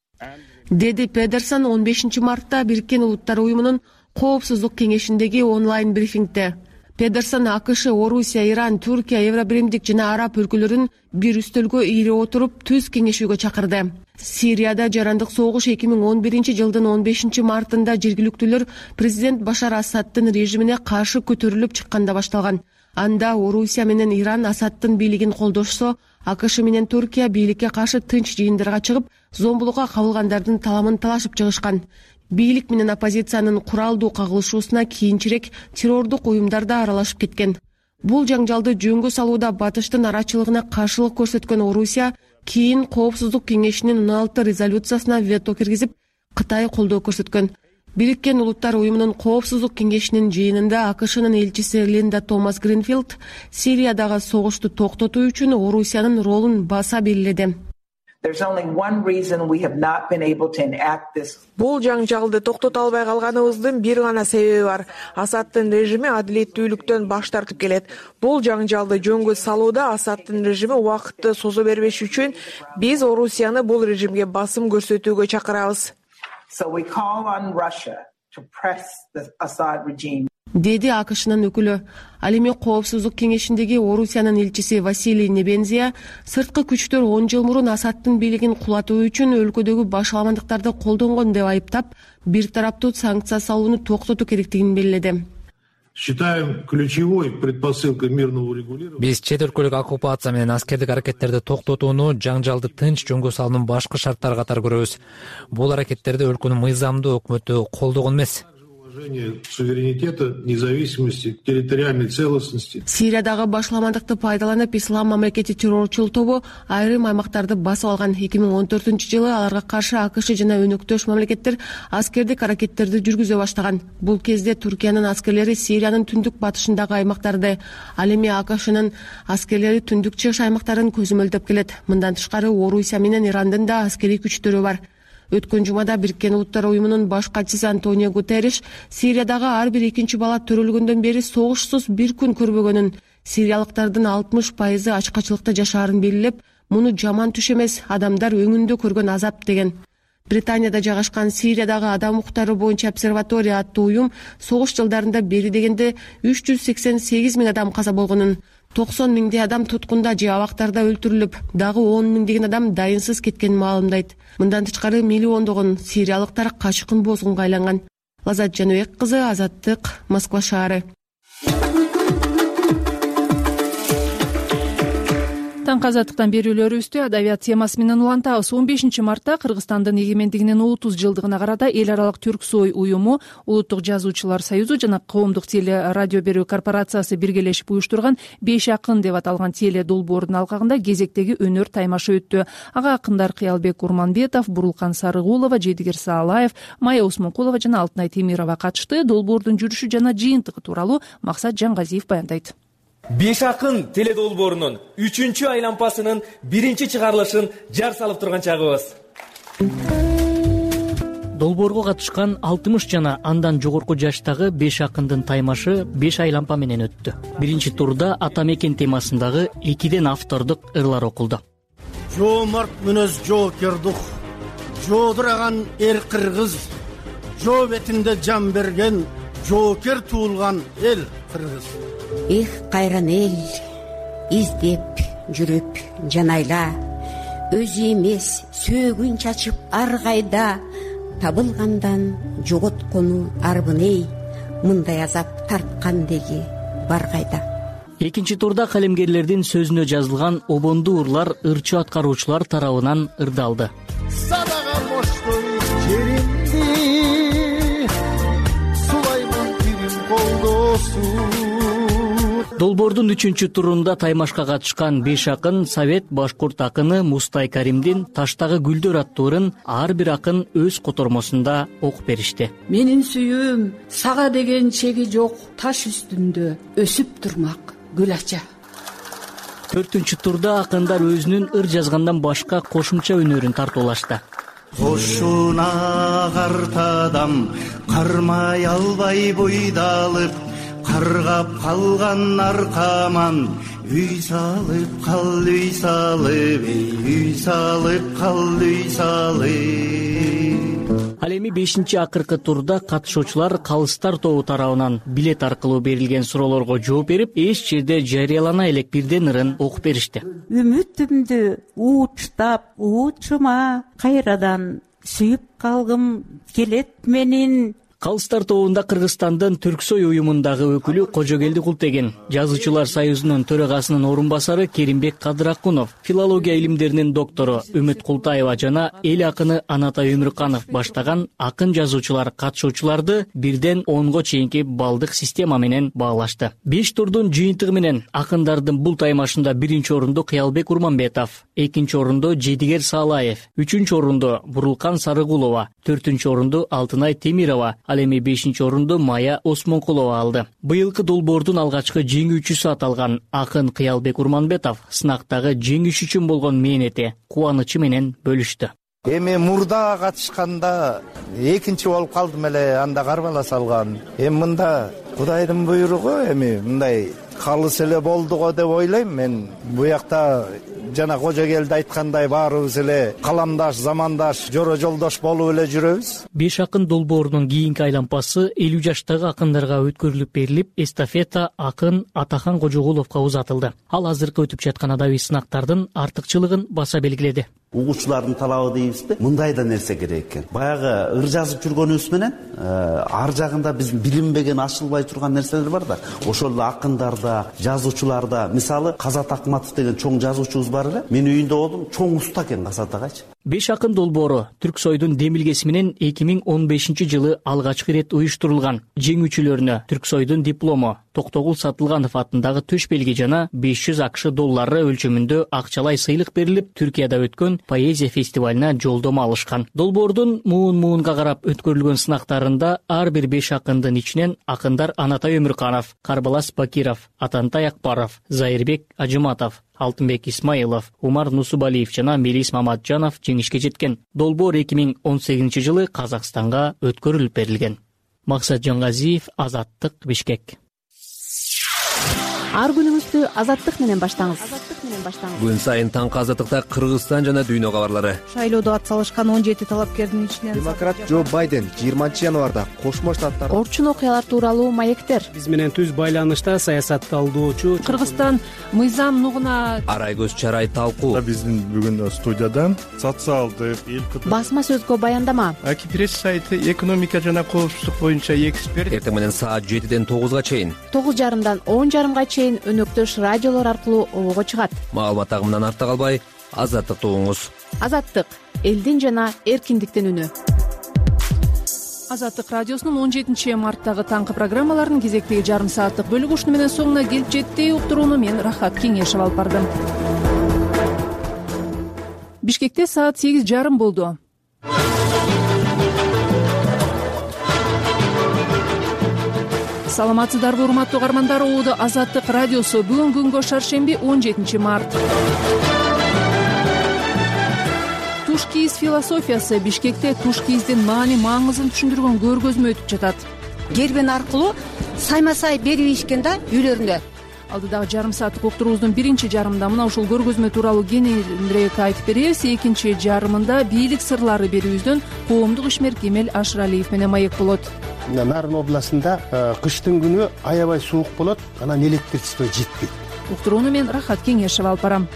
Деди Педерсон он бешинчи мартта Бириккен Улуттар уюмунун коопсуздук кеңешиндеги онлайн брифингде. Педерсон АКШ, Орусия, Иран, Түркия, Евробиримдик жана араб өлкөлөрүн бир үстөлгө ийре отуруп түз кеңешүүгө чакырды. Сирияда жарандык согуш эки миң он биринчи жылдын он бешинчи мартында жергиликтүүлөр президент Башар Асадтын режимине каршы көтөрүлүп чыкканда башталган. Анда Орусия менен Иран Асадтын бийлигин колдошсо, АКШ менен Түркия бийликке каршы тынч жыйындарга чыгып, зомбулукка кабылгандардын таламын талашып чыгышкан. Бийлик менен оппозициянын куралдуу кагылышуусуна кийинчерээк террордук уюмдар да аралашып кеткен. Бул жаңжалды жөнгө салууда батыштын арачылыгына каршылык көрсөткөн Орусия кийин Коопсуздук кеңешинин он алты резолюциясына вето киргизип, Кытай колдоо көрсөткөн. Бириккен Улуттар уюмунун Коопсуздук кеңешинин жыйынында АКШнын элчиси Линда Томас Гринфилд Сириядагы согушту токтотуу үчүн Орусиянын ролун баса белгиледи. Бул жаңжалды токтото албай калганыбыздын бир гана себеби бар. Асадтын режими адилеттүүлүктөн баш тартып келет. Бул жаңжалды жөнгө салууда Асадтын режими убакытты созо бербеш үчүн биз Орусияны бул режимге басым көрсөтүүгө чакырабыз. Деди АКШнын өкүлү. Ал эми Коопсуздук кеңешиндеги Орусиянын элчиси Василий Небензия сырткы күчтөр он жыл мурун Асадтын бийлигин кулатуу үчүн өлкөдөгү башаламандыктарды колдонгон деп айыптап, бир тараптуу санкция салууну токтотуу керектигин белгиледи. Считаем ключевой предпосылкой мирного урегулирования. Биз чет өлкөлүк оккупация менен аскердик аракеттерди токтотууну жаңжалды тынч жөнгө салуунун башкы шарттары катары көрөбүз. Бул аракеттерди өлкөнүн мыйзамдуу өкмөтү колдогон эмес. Суверенитета, независимости, территориальной целостности. Сириядагы башаламандыкты пайдаланып, Ислам мамлекети террорчул тобу айрым аймактарды басып алган. эки миң он төртүнчү жылы аларга каршы АКШ жана өнөктөш мамлекеттер аскердик аракеттерди жүргүзө баштаган. Бул кезде Түркиянын аскерлери Сириянын түндүк батышындагы аймактарды, ал эми АКШнын аскерлери түндүк чыгыш аймактарын көзөмөлдөп келет. Мындан тышкары Орусия менен Ирандын да аскерий күчтөрү бар. Өткөн жумада Бириккен Улуттар уюмунун баш катчысы Антонио Гутерриш Сириядагы ар бир экинчи бала төрөлгөндөн бери согушсуз бир күн көрбөгөнүн, сириялыктардын алтымыш пайызы ачкачылыкта жашаарын белгилеп, муну жаман түш эмес, адамдар өңүндө көргөн азап деген. Британияда жайгашкан Сириядагы адам укуктары боюнча обсерватория аттуу уюм согуш жылдарында бери дегенде үч жүз сексен сегиз миң адам каза болгонун, токсон миңдей адам туткунда же абактарда өлтүрүлүп, дагы он миңдеген адам дайынсыз кеткенин маалымдайт. Мындан тышкары миллиондогон сириялыктар качкын бозгунга айланган. Лазат Жаныбек кызы, Азаттык, Москва шаары. Таңкы азаттыктан берүүлөрүбүздү адабият темасы менен улантабыз. он бешинчи мартта Кыргызстандын эгемендигинин отуз жылдыгына карата эл аралык Түрксой уюму, Улуттук жазуучулар союзу жана Коомдук теле радио берүү корпорациясы биргелешип уюштурган беш акын деп аталган теле долбоордун алкагында кезектеги өнөр таймашы өттү. Ага акындар Кыялбек Курманбетов, Бурулкан Сарыгулова, Жедигер Саалаев, Майя Осмонкулова жана Алтынай Темирова катышты. Долбоордун жүрүшү жана жыйынтыгы тууралуу Максат Жангазиев баяндайт. Беш акын теле долбоорунун үчүнчү айлампасынын биринчи чыгарылышын жар салып турган чагыбыз. Долбоорго катышкан алтымыш жана андан жогорку жаштагы беш акындын таймашы беш айлампа менен өттү. Биринчи турда ата мекен темасындагы экиден автордук ырлар окулду. Жоомарт мүнөз жоокердук, жоодураган эр кыргыз, жоо бетинде жан берген, жоокер туулган эл кыргыз. Эх, кайран эл, издеп жүрүп жанайла, өзү эмес сөөгүн чачып ар кайда, табылгандан жоготкону арбын эй, мындай азап тарткан деги бар кайда. Экинчи турда калемгерлердин сөзүнө жазылган обондуу ырлар ырчы аткаруучулар тарабынан ырдалды. Садага боштон жеримди, сулаймын бирим колдосу. Долбоордун үчүнчү турунда таймашка катышкан беш акын Совет башкурт акыны Мустай Каримдин Таштагы гүлдөр аттуу ырын ар бир акын өз котормосунда окуп беришти. Менин сүйүүм сага деген чеги жок таш үстүндө өсүп турмак гүл ача. Төртүнчү турда акындар өзүнүн ыр жазгандан башка кошумча өнөрүн тартуулашты. Кошуна картадам кармай албай бойдалып, каргап калган аркаман, үй салып кал, үй салып, үй салып кал, үй салып. Ал эми бешинчи акыркы турда катышуучулар калыстар тобу тарабынан билет аркылуу берилген суроолорго жооп берип, эч жерде жарыялана элек бирден ырын окуп беришти. Үмүтүмдү уучтап, уучума кайрадан сүйүп калгым келет менин. Калыстар тобунда Кыргызстандын Түрксой уюмундагы өкүлү Кожогелди Култеген, Жазуучулар союзунун төрагасынын орун басары Керимбек Кадыракунов, филология илимдеринин доктору Үмүт Култаева жана эл акыны Анатай Өмүрканов баштаган акын жазуучулар катышуучуларды бирден онго чейинки балдык система менен баалашты. Беш турдун жыйынтыгы менен акындардын бул таймашында биринчи орунду Кыялбек Курманбетов, экинчи орунду Жедигер Саалаев, үчүнчү орунду Бурулкан Сарыгулова, төртүнчү орунду Алтынай Темирова, ал эми бешинчи орунду Майя Осмонкулова алды. Быйылкы долбоордун алгачкы жеңүүчүсү аталган акын Кыялбек Курманбетов сынактагы жеңиш үчүн болгон мээнети, кубанычы менен бөлүштү. Эми мурда катышканда экинчи болуп калдым эле, анда карбала салган. Эми мында Кудайдын буйругу, эми мындай калыс эле болду го деп ойлойм мен. Буякта жана Кожогелди айткандай баарыбыз эле каламдаш, замандаш, жоро жолдош болуп эле жүрөбүз. Беш акын долбоорунун кийинки айлампасы элүү жаштагы акындарга өткөрүлүп берилип, эстафета акын Атахан Кожогуловго узатылды. Ал азыркы өтүп жаткан адабий сынактардын артыкчылыгын баса белгиледи. Угуучулардын талабы дейбизби? Мындай да нерсе керек экен. Баягы ыр жазып жүргөнүбүз менен ар жагында биздин билинбеген, ачылбай турган нерселер бар да. Ошол эле акындарда, жазуучуларда, мисалы Казат Акматов деген чоң жазуучубуз бар эле. Мен үйүндө болдум, чоң уста экен Казат агачы. Беш акын долбоору Түрксойдун демилгеси менен эки миң он бешинчи жылы алгачкы ирет уюштурулган. Жеңүүчүлөрүнө Түрксойдун диплому, Токтогул Сатылганов атындагы төш белги жана беш жүз акш доллары өлчөмүндө акчалай сыйлык берилип, Түркияда өткөн поэзия фестивалына жолдомо алышкан. Долбоордун муун-муунга карап өткөрүлгөн сынактарында ар бир беш акындын ичинен акындар Анатай Өмүрканов, Карбалас Бакиров, Атантай Акбаров, Зайырбек Ажыматов, Алтынбек Исмаилов, Умар Нусубалиев жана Мелис Маматжанов жеңишке жеткен. Долбоор эки миң он сегизинчи жылы Казакстанга өткөрүлүп берилген. Максат Жангазиев, Азаттык, Бишкек. Ар күнүңүздү Азаттык менен баштаңыз. Күн сайын таңкы Азаттыкта Кыргызстан жана дүйнө кабарлары. Шайлоодо ат салышкан он жети талапкердин ичинен демократ Джо Байден жыйырманчы январда Кошмо Штаттар орчун окуялар тууралуу маектер. Биз менен түз байланышта саясатты алдоочу Кыргызстан мыйзам нугуна арай көз чарай талкуу. Биздин бүгүн студиядан социалдык басма сөзгө баяндама. Аки пресс сайты экономика жана коопсуздук боюнча эксперт эртең менен саат жетиден тогузга чейин тогуз жарымдан он жарымга чейин чейин өнөктөш радиолор аркылуу обого чыгат. Маалымат агымынан артта калбай, Азаттыкты угуңуз. Азаттык — элдин жана эркиндиктин үнү. Азаттык радиосунун он жетинчи марттагы таңкы программаларынын кезектеги жарым сааттык бөлүгү ушуну менен соңуна келип жетти. Уктурууну мен Рахат Кеңешев алып бардым. Бишкекте саат сегиз жарым болду. Саламатсыздарбы, урматтуу угармандар? Ободо Азаттык радиосу. Бүгүн күнгө шаршемби, он жетинчи март. Туш кийиз философиясы Бишкекте туш кийиздин маани маңызын түшүндүргөн көргөзмө өтүп жатат. Гербен аркылуу сайма-сай берип ийишкен да үйлөрүндө. Алдыдагы жарым сааттык уктуруубуздун биринчи жарымында мына ушул көргөзмө тууралуу кененирээк айтып беребиз. Экинчи жарымында бийлик сырлары берүүбүздөн коомдук ишмер Кемел Ашыралиев менен маек болот. Нарын областында кыштын күнү аябай суук болот, анан электричество жетпейт. Уктурууну мен Рахат Кеңешев алып барам.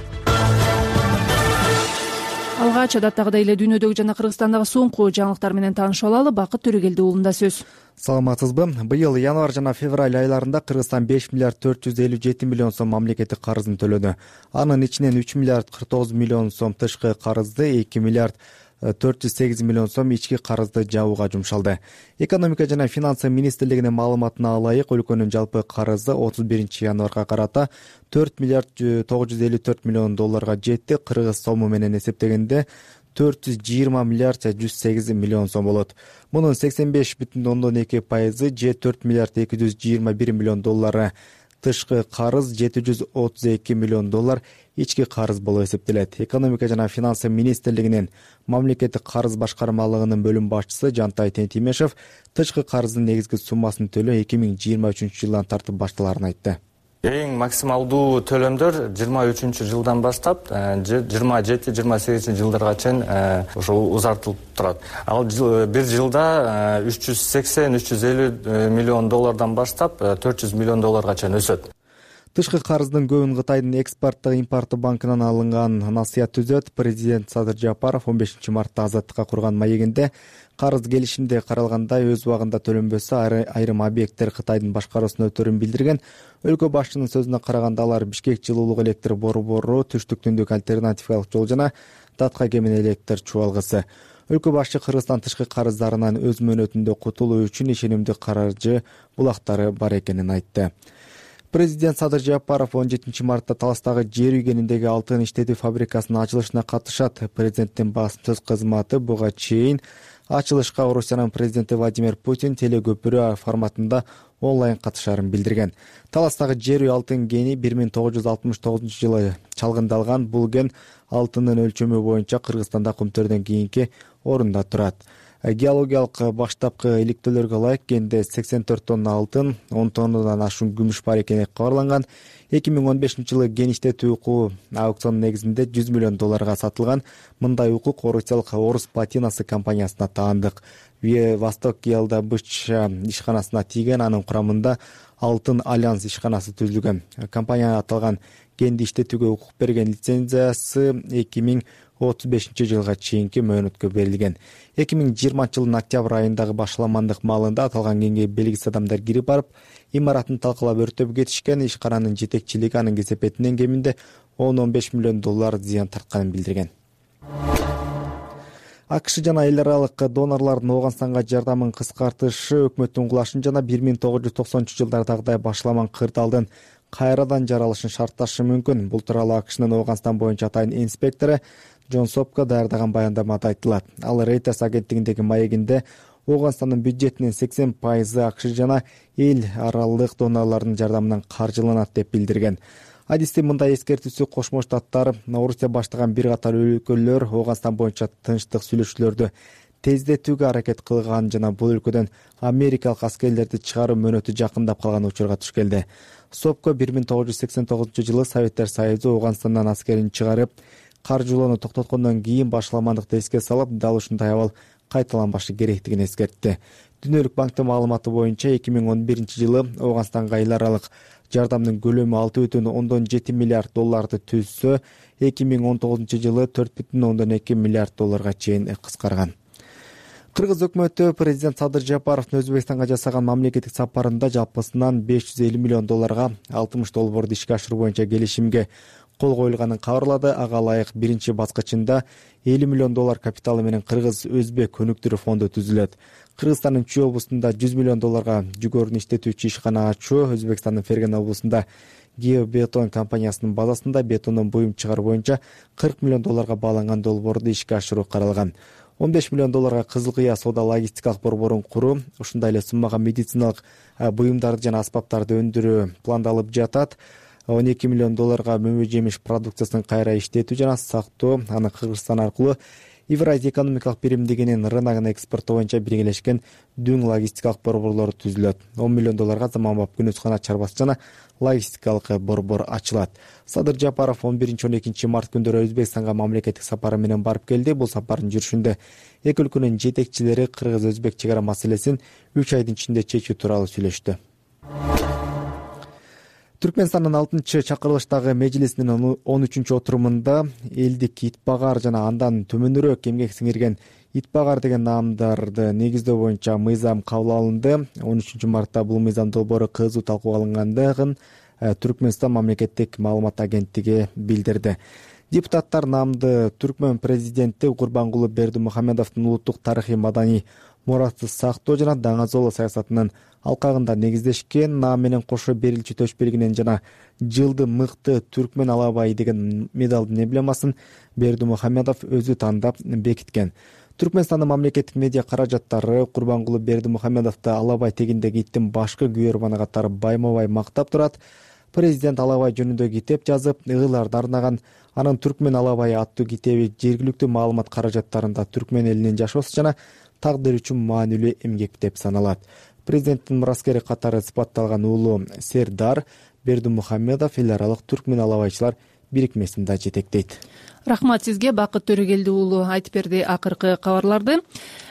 Алгач адаттагыдай эле дүйнөдөгү жана Кыргызстандагы соңку жаңылыктар менен таанышып алалы. Бакыт Төрөгелди уулунда сөз. Саламатсызбы? Быйыл январь жана февраль айларында Кыргызстан беш миллиард төрт жүз элүү жети миллион сом мамлекеттик карызын төлөдү. Анын ичинен үч миллиард кырк тогуз миллион сом тышкы карызды, эки миллиард төрт жүз сегиз миллион сом ички карызды жабууга жумшалды. Экономика жана финансы министрлигинин маалыматына ылайык, өлкөнүн жалпы карызы отуз биринчи январга карата төрт миллиард тогуз жүз элүү төрт миллион долларга жетти. Кыргыз сому менен эсептегенде төрт жүз жыйырма миллиард жүз сегиз миллион сом болот. Мунун сексен беш бүтүн ондон эки пайызы же төрт миллиард эки жүз жыйырма бир миллион доллары тышкы карыз, жети жүз отуз эки миллион доллар ички карыз болуп эсептелет. Экономика жана финансы министрлигинин мамлекеттик карыз башкармалыгынын бөлүм башчысы Жантай Тентимешев тышкы карыздын негизги суммасын төлөө эки миң жыйырма үчүнчү жылдан тартып башталарын айтты. Эң максималдуу төлөмдөр жыйырма үчүнчү жылдан баштап жыйырма жети жыйырма сегизинчи жылдарга чейин ошол узартылып турат. Ал бир жылда үч жүз сексен үч жүз элүү миллион доллардан баштап төрт жүз миллион долларга чейин өсөт. Тышкы карыздын көбүн Кытайдын экспорттук импорттук банкынан алынган насыят түзөт. Президент Садыр Жапаров он бешинчи мартта Азаттыкка курган маегинде карыз келишимде каралгандай өз убагында төлөнбөсө айрым объекттер Кытайдын башкаруусуна өтөрүн билдирген. Өлкө башчынын сөзүнө караганда алар Бишкек жылуулук электр борбору, түштүк түндүк альтернативалык жол жана Татка кемин электр чубалгысы. Өлкө башчы Кыргызстан тышкы карыздарынан өз мөөнөтүндө кутулуу үчүн ишенимдүү каржы булактары бар экенин айтты. Президент Садыр Жапаров он жетинчи мартта Таластагы жер үйгениндеги алтын иштетүү фабрикасынын ачылышына катышат. Президенттин басым кызматы буга чейин ачылышка Орусиянын президенти Владимир Путин телекөпүрө форматында онлайн катышаарын билдирген. Таластагы жер үй алтын кени бир миң тогуз жүз алтымыш тогузунчу жылы чалгындалган. Бул кен алтындын өлчөмү боюнча Кыргызстанда Кумтөрдөн кийинки орунда турат. Геологиялык баштапкы иликтөөлөргө ылайык кенде сексен төрт тонна алтын, он тоннадан ашуун күмүш бар экени кабарланган. эки миң он бешинчи жылы кен иштетүү укугу аукцион негизинде жүз миллион долларга сатылган. Мындай укук орусиялык Орус платинасы компаниясына таандык. Восток ГЛДБЧ ишканасына тийген, анын курамында Алтын Альянс ишканасы түзүлгөн. Компания аталган кенди иштетүүгө укук берген лицензиясы эки миң отуз бешинчи жылга чейинки мөөнөткө берилген. эки миң жыйырманчы жылдын октябрь айындагы башаламандык маалында аталган кенге белгисиз адамдар кирип барып, имаратын талкалап өртөп кетишкен. Ишкананын жетекчилиги анын кесепетинен кеминде он он беш миллион доллар зыян тартканын билдирген. АКШ жана эл аралык донорлордун Ооганстанга жардамын кыскартышы өкмөттүн кулашын жана бир миң тогуз жүз токсонунчу жылдардагыдай башаламан кырдаалдын кайрадан жаралышын шартташы мүмкүн. Бул тууралуу АКШнын Ооганстан боюнча атайын инспектору Джон Сопко даярдаган баяндамада айтылат. Ал Reuters агенттигиндеги маегинде Ооганстандын бюджетинин сексен пайызы АКШ жана эл аралык донорлордун жардамынан каржыланат деп билдирген. Адистин мындай эскертүүсү Кошмо Штаттар, Орусия баштаган бир катар өлкөлөр Ооганстан боюнча тынчтык сүйлөшүүлөрдү тездетүүгө аракет кылган жана бул өлкөдөн америкалык аскерлерди чыгаруу мөөнөтү жакындап калган учурга туш келди. Сопко бир миң тогуз жүз сексен тогузунчу жылы Советтер Союзу Ооганстандан аскерин чыгарып, каржылоону токтоткондон кийин башаламандыкты эске салып, дал ушундай абал кайталанбашы керектигин эскертти. Дүйнөлүк банктын маалыматы боюнча эки миң он биринчи жылы Ооганстанга эл аралык жардамдын көлөмү алты бүтүн ондон жети миллиард долларды түзсө, эки миң он тогузунчу жылы төрт бүтүн ондон эки миллиард долларга чейин кыскарган. кыргыз өкмөтү президент Садыр Жапаровдун Өзбекстанга жасаган мамлекеттик сапарында жалпысынан беш жүз элүү миллион долларга алтымыш долбоорду ишке ашыруу боюнча келишимге кол коюлганын кабарлады. Ага ылайык биринчи баскычында элүү миллион доллар капиталы менен Кыргыз-Өзбек өнүктүрүү фонду түзүлөт. Кыргызстандын Чүй облусунда жүз миллион долларга жүгөрүн иштетүүчү ишкана ачуу, Өзбекстандын Ферген облусунда Геобетон компаниясынын базасында бетондон буюм чыгаруу боюнча кырк миллион долларга бааланган долбоорду ишке ашыруу каралган. он беш миллион долларга Кызыл Кыя соода логистикалык борборун куруу, ушундай эле суммага медициналык буюмдарды жана аспаптарды өндүрүү пландалып жатат. он эки миллион долларга мөмө жемиш продукциясын кайра иштетүү жана сактоо, аны Кыргызстан аркылуу Евразия экономикалык биримдигинин рыногуна экспорттоо боюнча биргелешкен дүң логистикалык борборлор түзүлөт. он миллион долларга заманбап күнөзкана чарбасы жана логистикалык борбор ачылат. Садыр Жапаров он биринчи он экинчи март күндөрү Өзбекстанга мамлекеттик сапары менен барып келди. Бул сапардын жүрүшүндө эки өлкөнүн жетекчилери Кыргыз-Өзбек чек ара маселесин үч айдын ичинде чечүү тууралуу сүйлөштү. Түркмөнстандын алтынчы чакырылыштагы межлисинин он үчүнчү отурумунда элдик итбагар жана андан төмөнүрөөк эмгек сиңирген итбагар деген наамдарды негиздөө боюнча мыйзам кабыл алынды. он үчүнчү мартта бул мыйзам долбоору кызуу талкууга алынгандыгын Түркмөнстан мамлекеттик маалымат агенттиги билдирди. Депутаттар наамды Түркмөн президенти Курбангулы Бердимухамедовдун улуттук тарыхый маданий мурасты сактоо жана даңазооло саясатынын алкагында негиздешкен. Наам менен кошо берилчү төш белгинен жана жылды мыкты түркмөн алабай деген медалдын эмблемасын Бердимухамедов өзү тандап бекиткен. Түркмөнстандын мамлекеттик медиа каражаттары Курбангулы Бердимухамедовду алабай тегиндеги иттин башкы күйөрманы катары байма-бай мактап турат. Президент алабай жөнүндө китеп жазып, ыгыларды арнаган. Анын Түркмөн алабайы аттуу китеби жергиликтүү маалымат каражаттарында түркмөн элинин жашоосу жана тагдыр үчүн маанилүү эмгек деп саналат. Президенттин мураскери катары сыпатталган уулу Сердар Бердимухамедов эл аралык түркмөн алабайчылар бирикмесин да жетектейт. Рахмат сизге, Бакыт Төрөгелди уулу айтып берди акыркы кабарларды.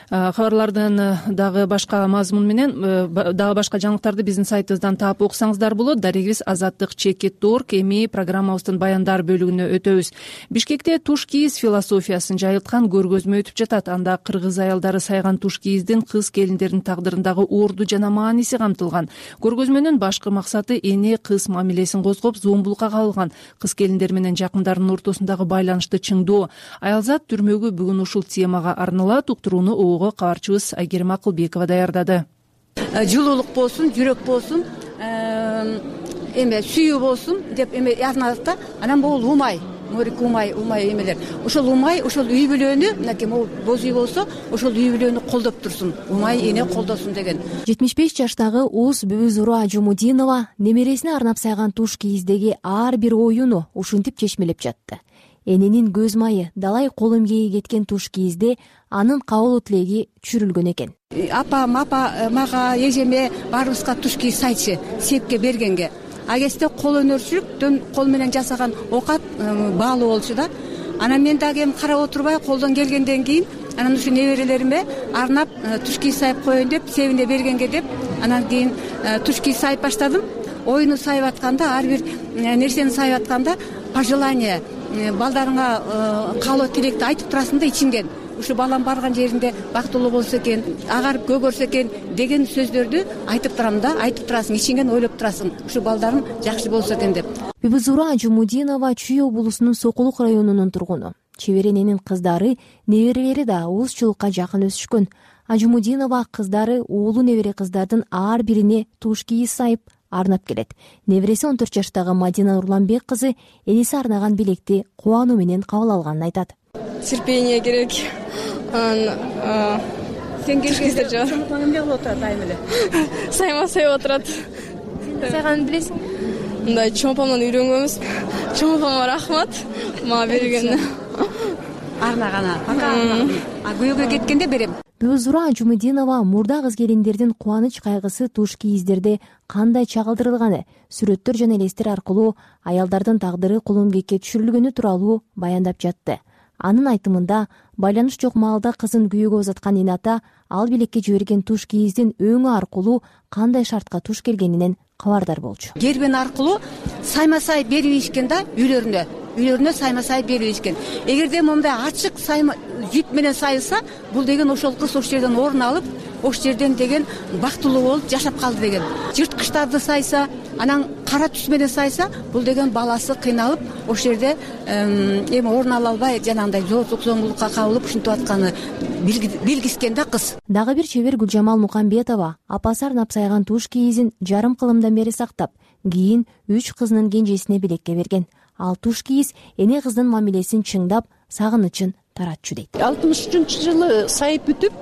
Кабарлардын дагы башка мазмун менен дагы башка жаңылыктарды биздин сайтыбыздан таап окусаңыздар болот. Дарегибиз азаттык чекит точка орг. Эми программабыздын баяндар бөлүгүнө өтөбүз. Бишкекте туш кийиз философиясын жайылткан көргөзмө өтүп жатат. Анда кыргыз аялдары сайган туш кийиздин кыз келиндердин тагдырындагы орду жана мааниси камтылган. Көргөзмөнүн башкы максаты эне кыз мамилесин козгоп, зомбулукка кабылган кыз келиндер менен жакындарынын ортосундагы байланышты чыңдоо. Аялзат түрмөгү бүгүн ушул темага арналат. Уктурууну кабарчыбыз Айгерим Акылбекова даярдады. Жылуулук болсун, жүрөк болсун, эме сүйүү болсун деп эме арналат да. Анан бул умай, морик умай, умай эмелер. Ошол умай, ошол үй бүлөнү, мынакей могу боз үй болсо, ошол үй бүлөнү колдоп турсун. Умай эне колдосун деген. жетимиш беш жаштагы Уз Бүбүзуру Ажумудинова немересине арнап сайган туш кийиздеги ар бир оюну ушинтип чечмелеп жатты. Эненин көз майы, далай кол эмгеги кеткен туш кийизде анын кабыл тилеги түшүрүлгөн экен. Апа, мапа, мага, эжеме баарыбызга туш кийиз сайчы, сепке бергенге. А кезде кол өнөрчүлүктөн кол менен жасаган окат баалуу болчу да. Анан мен дагы эми карап отурбай колдон келгенден кийин анан ушу неберелериме арнап туш кийиз сайып коеюн деп, себине бергенге деп, анан кийин туш кийиз сайып баштадым. Оюну сайып атканда, ар бир нерсени сайып атканда пожелание балдарыңа каалоо тилекти айтып турасың да ичиңден. Ушу балам барган жеринде бактылуу болсо экен, агарып көгөрсө экен деген сөздөрдү айтып турам да, айтып турасың, ичиңден ойлоп турасың. Ушу балдарым жакшы болсо экен деп. Бүбүзуру Ажумудинова Чүй облусунун Сокулук районунун тургуну. Чеберененин кыздары, неберелери да уузчулукка жакын өсүшкөн. Ажумудинова кыздары уулу небере кыздардын ар бирине туш кийиз сайып арнап келет. Небереси он төрт жаштагы Мадина Нурланбек кызы энеси арнаган белекти кубануу менен кабыл алганын айтат. Терпение керек. Сен келгенде чоңпаң эмне кылып отурат айым эле? Сайма сайып отурат. Сайганын билесиң? Мындай чоңпамдан үйрөнгөнбүз. Чоңпаңга рахмат. Мага бергенине. Арнагана. Пока. А күйөөгө кеткенде берем. Бүбүзуру Ажумудинова мурда кыз келиндердин кубаныч кайгысы туш кийиздерде кандай чагылдырылганы, сүрөттөр жана элестер аркылуу аялдардын тагдыры кул эмгекке түшүрүлгөнү тууралуу баяндап жатты. Анын айтымында, байланыш жок маалда кызын күйөөгө узаткан эне ата ал белекке жиберген туш кийиздин өңү аркылуу кандай шартка туш келгенинен кабардар болчу. Гербен аркылуу сайма-сай берип ийишкен да үйлөрүнө. үйлөрүнө сайма сай бербейт экен. Эгерде момундай ачык сайма жип менен сайылса, бул деген ошол кыз ошол жерден орун алып, ошол жерден деген бактылуу болуп жашап калды деген. Жырткычтарды сайса, анан кара түс менен сайса, бул деген баласы кыйналып, ошол жерде эми орун ала албай, жанагындай зордук зомбулукка кабылып ушинтип атканы билгискен да кыз. Дагы бир чебер Гүлжамал Мукамбетова апасы арнап сайган туш кийизин жарым кылымдан бери сактап, кийин үч кызынын кенжесине белекке берген. Ал туш кийиз эне кыздын мамилесин чыңдап, сагынычын таратчу дейт. алтымыш үчүнчү жылы сайып бүтүп,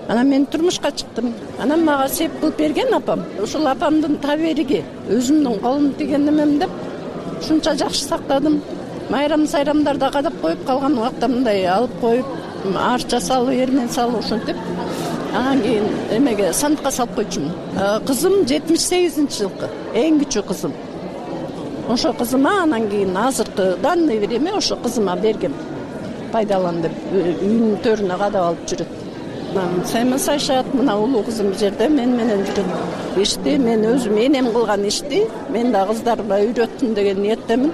анан мен турмушка чыктым. Анан мага сеп кылып берген апам. Ушул апамдын табериги, өзүмдүн колум тиген немем деп ушунча жакшы сактадым. Майрам сайрамдарда кадап коюп калган убакта мындай алып коюп, арча салып, эрмен салып ушинтип, анан кийин эмеге сандыкка салып койчумун. Кызым жетимиш сегизинчи жылкы, эң кичүү кызым. Ошо кызыма анан кийин азыркы данный время ошо кызыма бергем. Пайдалан деп үйүнүн төрүнө кадап алып жүрөт. Сайма сайшат, мына улуу кызым жерде мен менен жүрөт. Ишти мен өзүм энем кылган ишти мен да кыздарга үйрөттүм деген ниеттемин.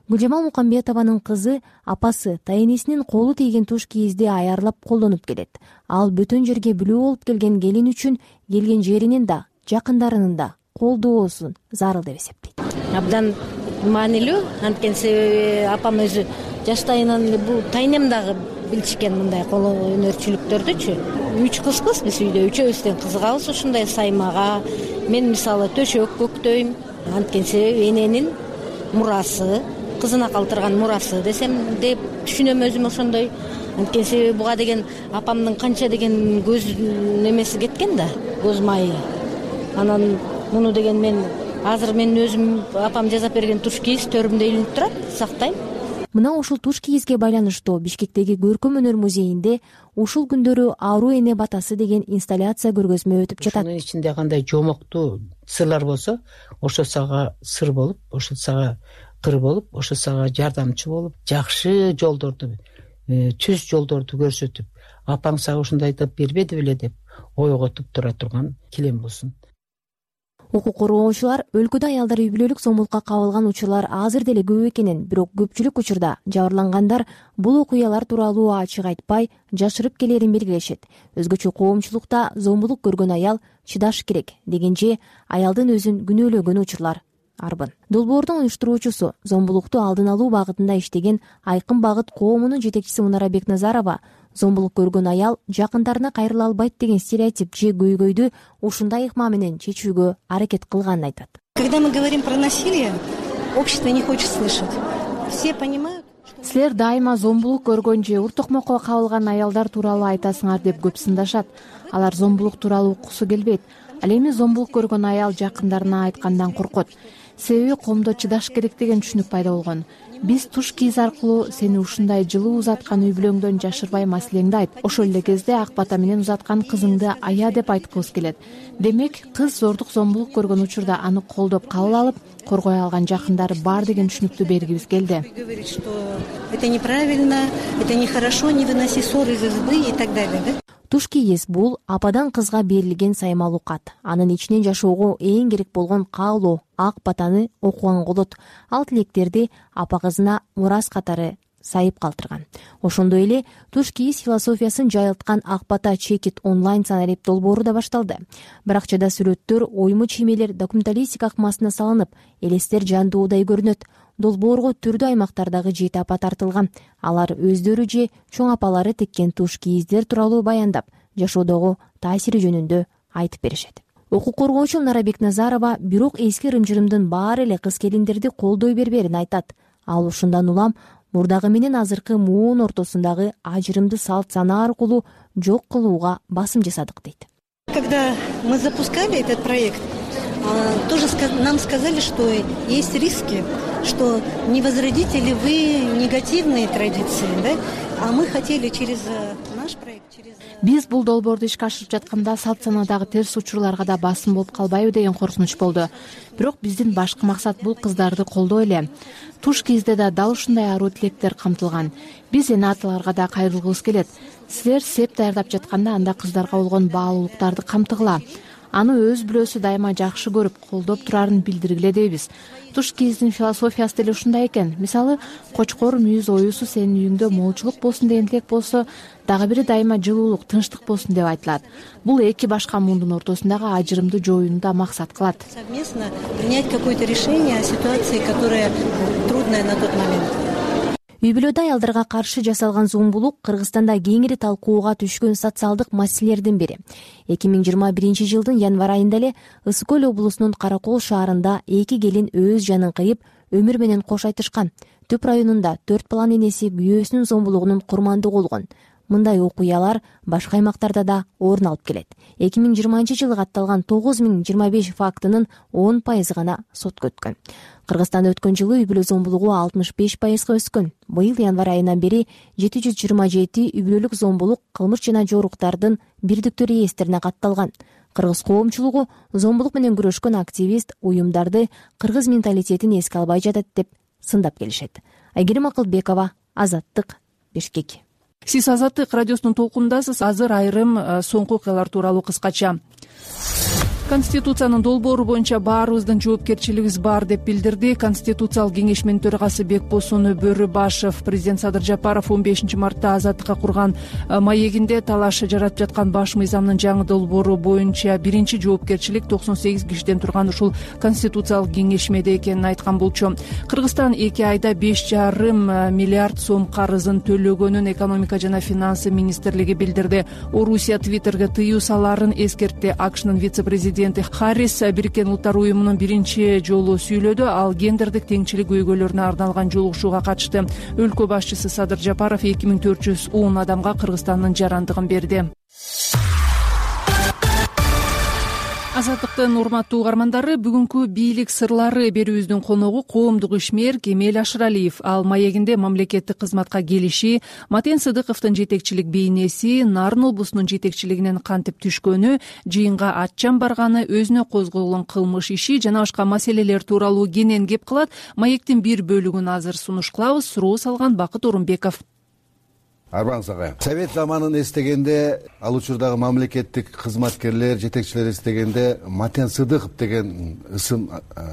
Гүлжамал Мукамбетованын кызы апасы тайенесинин колу тийген туш кийизди аярлап колдонуп келет. Ал бөтөн жерге бүлөө болуп келген келин үчүн келген жеринин да, жакындарынын да колдоосун зарыл деп эсептейт. Абдан маанилүү, анткени себеби апам өзү жаштайынан бул тайнем дагы билчикен мындай кол өнөрчүлүктөрдүчү. Үч кызбыз биз үйдө, үчөөбүз тең кызыгабыз ушундай саймага. Мен мисалы төшөк көктөйм. Анткени себеби эненин мурасы, кызына калтырган мурасы десем деп түшүнөм өзүм ошондой. Анткени себеби буга деген апамдын канча деген көз немеси кеткен да, көз майы. Анан муну деген мен азыр мен өзүм апам жасап берген туш кийиз төрүмдө илинип турат, сактайм. Мына ушул туш кийизге байланыштуу Бишкектеги Көркөм өнөр музейинде ушул күндөрү Аруу эне батасы деген инсталляция көргөзмө өтүп жатат. Ушунун ичинде кандай жомоктуу сырлар болсо, ошо сага сыр болуп, ошо сага кыр болуп, ошо сага жардамчы болуп, жакшы жолдорду, түз жолдорду көрсөтүп, апаң сага ушундай деп бербеди беле деп ойготуп тура турган килем болсун. Укук коргоочулар өлкөдө аялдар үй бүлөлүк зомбулукка кабылган учурлар азыр деле көп экенин, бирок көпчүлүк учурда жабырлангандар бул окуялар тууралуу ачык айтпай, жашырып келерин белгилешет. Өзгөчө коомчулукта зомбулук көргөн аял чыдаш керек дегенче аялдын өзүн күнөөлөгөн учурлар арбын. Долбоордун уюштуруучусу, зомбулукту алдын алуу багытында иштеген Айкын багыт коомунун жетекчиси Мунара Бекназарова зомбулук көргөн аял жакындарына кайрыла албайт деген стереотип же көйгөйдү ушундай ыкма менен чечүүгө аракет кылганын айтат. Когда мы говорим про насилие, общество не хочет слышать. Все понимают. Силер дайыма зомбулук көргөн же ур токмокко кабылган аялдар тууралуу айтасыңар деп көп сындашат. Алар зомбулук тууралуу уккусу келбейт. Ал эми зомбулук көргөн аял жакындарына айткандан коркот. Себеби коомдо чыдаш керек деген түшүнүк пайда болгон. Биз туш кийиз аркылуу сени ушундай жылуу узаткан үй бүлөңдөн жашырбай маселеңди айт. Ошол эле кезде ак бата менен узаткан кызыңды ая деп айткыбыз келет. Демек, кыз зордук зомбулук көргөн учурда аны колдоп кабыл алып, коргой алган жакындары бар деген түшүнүктү бергибиз келди. Говорит, что это неправильно, это нехорошо, не выноси ссоры из избы и так далее, да? Туш кийиз бул ападан кызга берилген саймалуу кат. Анын ичинен жашоого эң керек болгон каалоо, ак батаны окуган болот. Ал тилектерди апа кызына мурас катары сайып калтырган. Ошондой эле туш кийиз философиясын жайылткан Ак бата чекит онлайн санарип долбоору да башталды. Баракчада сүрөттөр, ойму чиймелер документалистика акмасына салынып, элестер жандуудай көрүнөт. Долбоорго түрдүү аймактардагы жети апа тартылган. Алар өздөрү же чоң апалары теккен туш кийиздер тууралуу баяндап, жашоодогу таасири жөнүндө айтып беришет. Укук коргоочу Мунара Бекназарова бирок эски ырым-жырымдын баары эле кыз келиндерди колдой берберин айтат. Ал ушундан улам мурдагы менен азыркы муун ортосундагы ажырымды салт сана аркылуу жок кылууга басым жасадык дейт. Когда мы запускали этот проект, тоже нам сказали, что есть риски, что не возродите ли вы негативные традиции, да? А мы хотели через наш проект, через... Биз бул долбоорду ишке ашырып жатканда салт санадагы терс учурларга да басым болуп калбайбы деген коркунуч болду. Бирок биздин башкы максат бул кыздарды колдоо эле. Туш кийизде да дал ушундай аруу тилектер камтылган. Биз эне аталарга да кайрылгыбыз келет. Силер сеп даярдап жатканда анда кыздарга болгон баалуулуктарды камтыгыла. аны өз бүлөсү дайыма жакшы көрүп колдоп турарын билдиргиле дейбиз. Туш кийиздин философиясы деле ушундай экен. Мисалы, кочкор мүйүз оюусу сенин үйүңдө молчулук болсун деген тилек болсо, дагы бири дайыма жылуулук, тынчтык болсун деп айтылат. Бул эки башка мундун ортосундагы ажырымды жоюуну да максат кылат. Совместно принять какое-то решение о ситуации, которая трудная на тот момент. Үй бүлөдө аялдарга каршы жасалган зомбулук Кыргызстанда кеңири талкууга түшкөн социалдык маселелердин бири. эки миң жыйырма биринчи жылдын январь айында эле Ысык көл облусунун Каракол шаарында эки келин өз жанын кыйып, өмүр менен кош айтышкан. Түп районунда төрт баланын энеси күйөөсүнүн зомбулугунун курмандыгы болгон. Мындай окуялар башка аймактарда да орун алып келет. эки миң жыйырманчы жылы катталган тогуз миң жыйырма беш фактынын он пайызы гана сотко өткөн. Кыргызстанда өткөн жылы үй бүлө зомбулугу алтымыш беш пайызга өскөн. Быйыл январь айынан бери жети жүз жыйырма жети үй бүлөлүк зомбулук кылмыш жана жоруктардын бирдиктүү реестрине катталган. Кыргыз коомчулугу зомбулук менен күрөшкөн активист уюмдарды кыргыз менталитетин эске албай жатат деп сындап келишет. Айгерим Акылбекова, Азаттык, Бишкек. Сиз Азаттык радиосунун толкунундасыз. Азыр айрым соңку окуялар тууралуу кыскача. Конституциянын долбоору боюнча баарыбыздын жоопкерчилигибиз бар деп билдирди Конституциялык кеңешменин төрагасы Бекбосун Бөрүбашев. Президент Садыр Жапаров он бешинчи мартта Азаттыкка курган маегинде талаш жаратып жаткан баш мыйзамдын жаңы долбоору боюнча биринчи жоопкерчилик токсон сегиз кишиден турган ушул Конституциялык кеңешмеде экенин айткан болчу. Кыргызстан эки айда беш жарым миллиард сом карызын төлөгөнүн экономика жана финансы министрлиги билдирди. Орусия Твиттерге тыюу салаарын эскертти. АКШнын вице-президенти Харрис Бириккен Улуттар уюмунун биринчи жолу сүйлөдү. Ал гендердик теңчилик көйгөйлөрүнө арналган жолугушууга катышты. Өлкө башчысы Садыр Жапаров эки миң төрт жүз он адамга Кыргызстандын жарандыгын берди. Азаттыктын урматтуу угармандары, бүгүнкү бийлик сырлары берүүбүздүн коногу коомдук ишмер Кемел Ашыралиев. Ал маегинде мамлекеттик кызматка келиши, Матен Сыдыковдун жетекчилик бейнеси, Нарын облусунун жетекчилигинен кантип түшкөнү, жыйынга атчан барганы, өзүнө козголгон кылмыш иши жана башка маселелер тууралуу кенен кеп кылат. Маектин бир бөлүгүн азыр сунуш кылабыз. Суроо салган Бакыт Орунбеков. Арбаңыз агай. Совет заманын эстегенде, ал учурдагы мамлекеттик кызматкерлер, жетекчилер эстегенде Матен Сыдыков деген ысым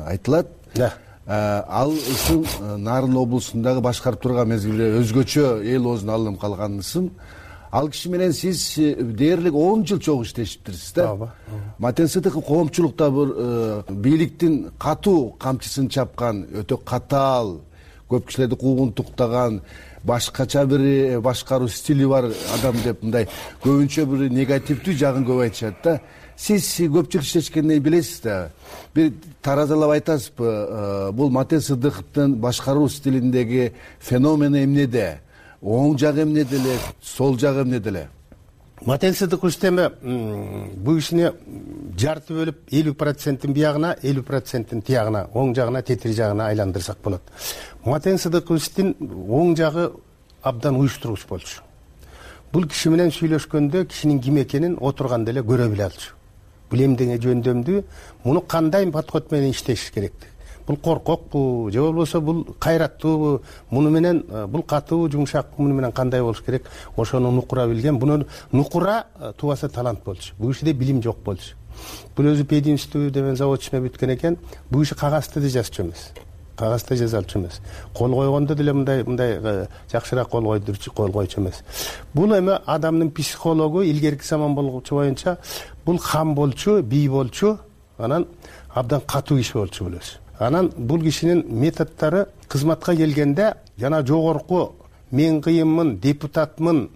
айтылат. Да. Ал ысым Нарын облусундагы башкарып турган мезгилде өзгөчө эл оозуна алынып калган ысым. Ал киши менен сиз дээрлик он жыл чогуу иштешиптирсиз да. Ооба. Матен Сыдыков коомчулукта бир бийликтин катуу камчысын чапкан, өтө катаал, көп кишилерди куугунтуктаган, башкача бир башкаруу стили бар адам деп мындай көбүнчө бир негативдүү жагын көп айтышат да. Сиз көпчүлүк иштешкенден билесиз да. Бир таразалап айтасызбы, бул Матен Сыдыковдун башкаруу стилиндеги феномени эмнеде? Оң жагы эмнеде эле, сол жагы эмнеде эле? Матен Сыдыков эстеме бул кишини жарты бөлүп элүү проценттин биягына, элүү проценттин тиягына, оң жагына, тетир жагына айландырсак болот. Матен Сыдыковдун оң жагы абдан уюштуругуч болчу. Бул киши менен сүйлөшкөндө кишинин ким экенин отурганда эле көрө биле алчу. Бул эмдеге жөндөмдүү, муну кандай подход менен иштеш керек? Бул коркокпу, же болбосо бул кайраттуубу, муну менен бул катуу, жумшак, муну менен кандай болуш керек? Ошону нукура билген. Буну нукура тубаса талант болчу. Бул кишиде билим жок болчу. Бул өзү пединститут деген заводчуна бүткөн экен. Бул киши кагазды да жазчу эмес. Кагазда жазалчу эмес. Кол койгондо деле мындай мындай жакшыраак кол койдурчу, кол койчу эмес. Бул эми адамдын психологу илгерки заман болгучу боюнча бул хам болчу, бий болчу, анан абдан катуу киши болчу бул өзү. Анан бул кишинин методдору кызматка келгенде жана жогорку мен кыйынмын, депутатмын,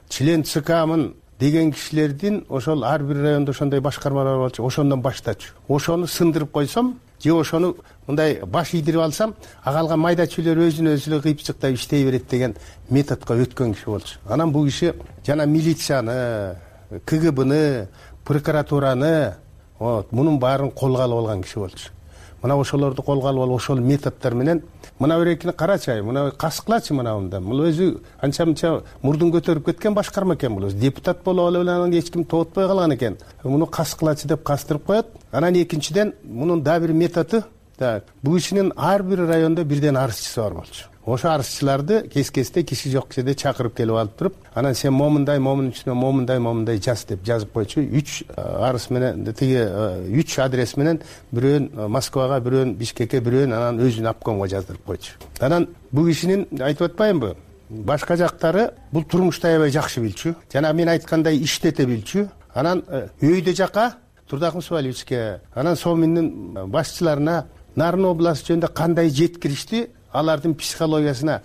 член ЦКмын деген кишилердин ошол ар бир райондо ошондой башкармалар болчу, ошондон баштачу. Ошону сындырып койсом, же ошону мындай баш ийдирип алсам, агалган майда чүйлөр өзүн өзү эле кыйпчыктап иштей берет деген методко өткөн киши болчу. Анан бул киши жана милицияны, КГБны, прокуратураны, вот, мунун баарын колго алып алган киши болчу. Мына ошолорду колго алып алып, ошол методдор менен мына берекини карачы, мына каскылачы мына мында. Бул өзү анча-мынча мурдун көтөрүп кеткен башкарма экен бул. Депутат болуп алып эле эч ким тоотпой калган экен. Муну каскылачы деп кастырып коет. Анан экинчиден мунун да бир методу Так, бул кишинин ар бир райондо бирден арызчысы бар болчу. Ошо арызчыларды кес кезде киши жок кишиде чакырып келип алып туруп, анан сен момундай момун үчүнө момундай момундай жаз деп жазып койчу. үч арыз менен тиги үч адрес менен бирөөн Москвага, бирөөн Бишкекке, бирөөн анан өзүнүн обкомго жаздырып койчу. Анан бул кишинин айтып атпаймынбы, башка жактары бул турмушту аябай жакшы билчү. Жана мен айткандай иштете билчү. Анан өйдө жака Турдак Мусабалиевичке, анан Соминдин башчыларына Нарын областы жөнүндө кандай жеткиришти, алардын психологиясына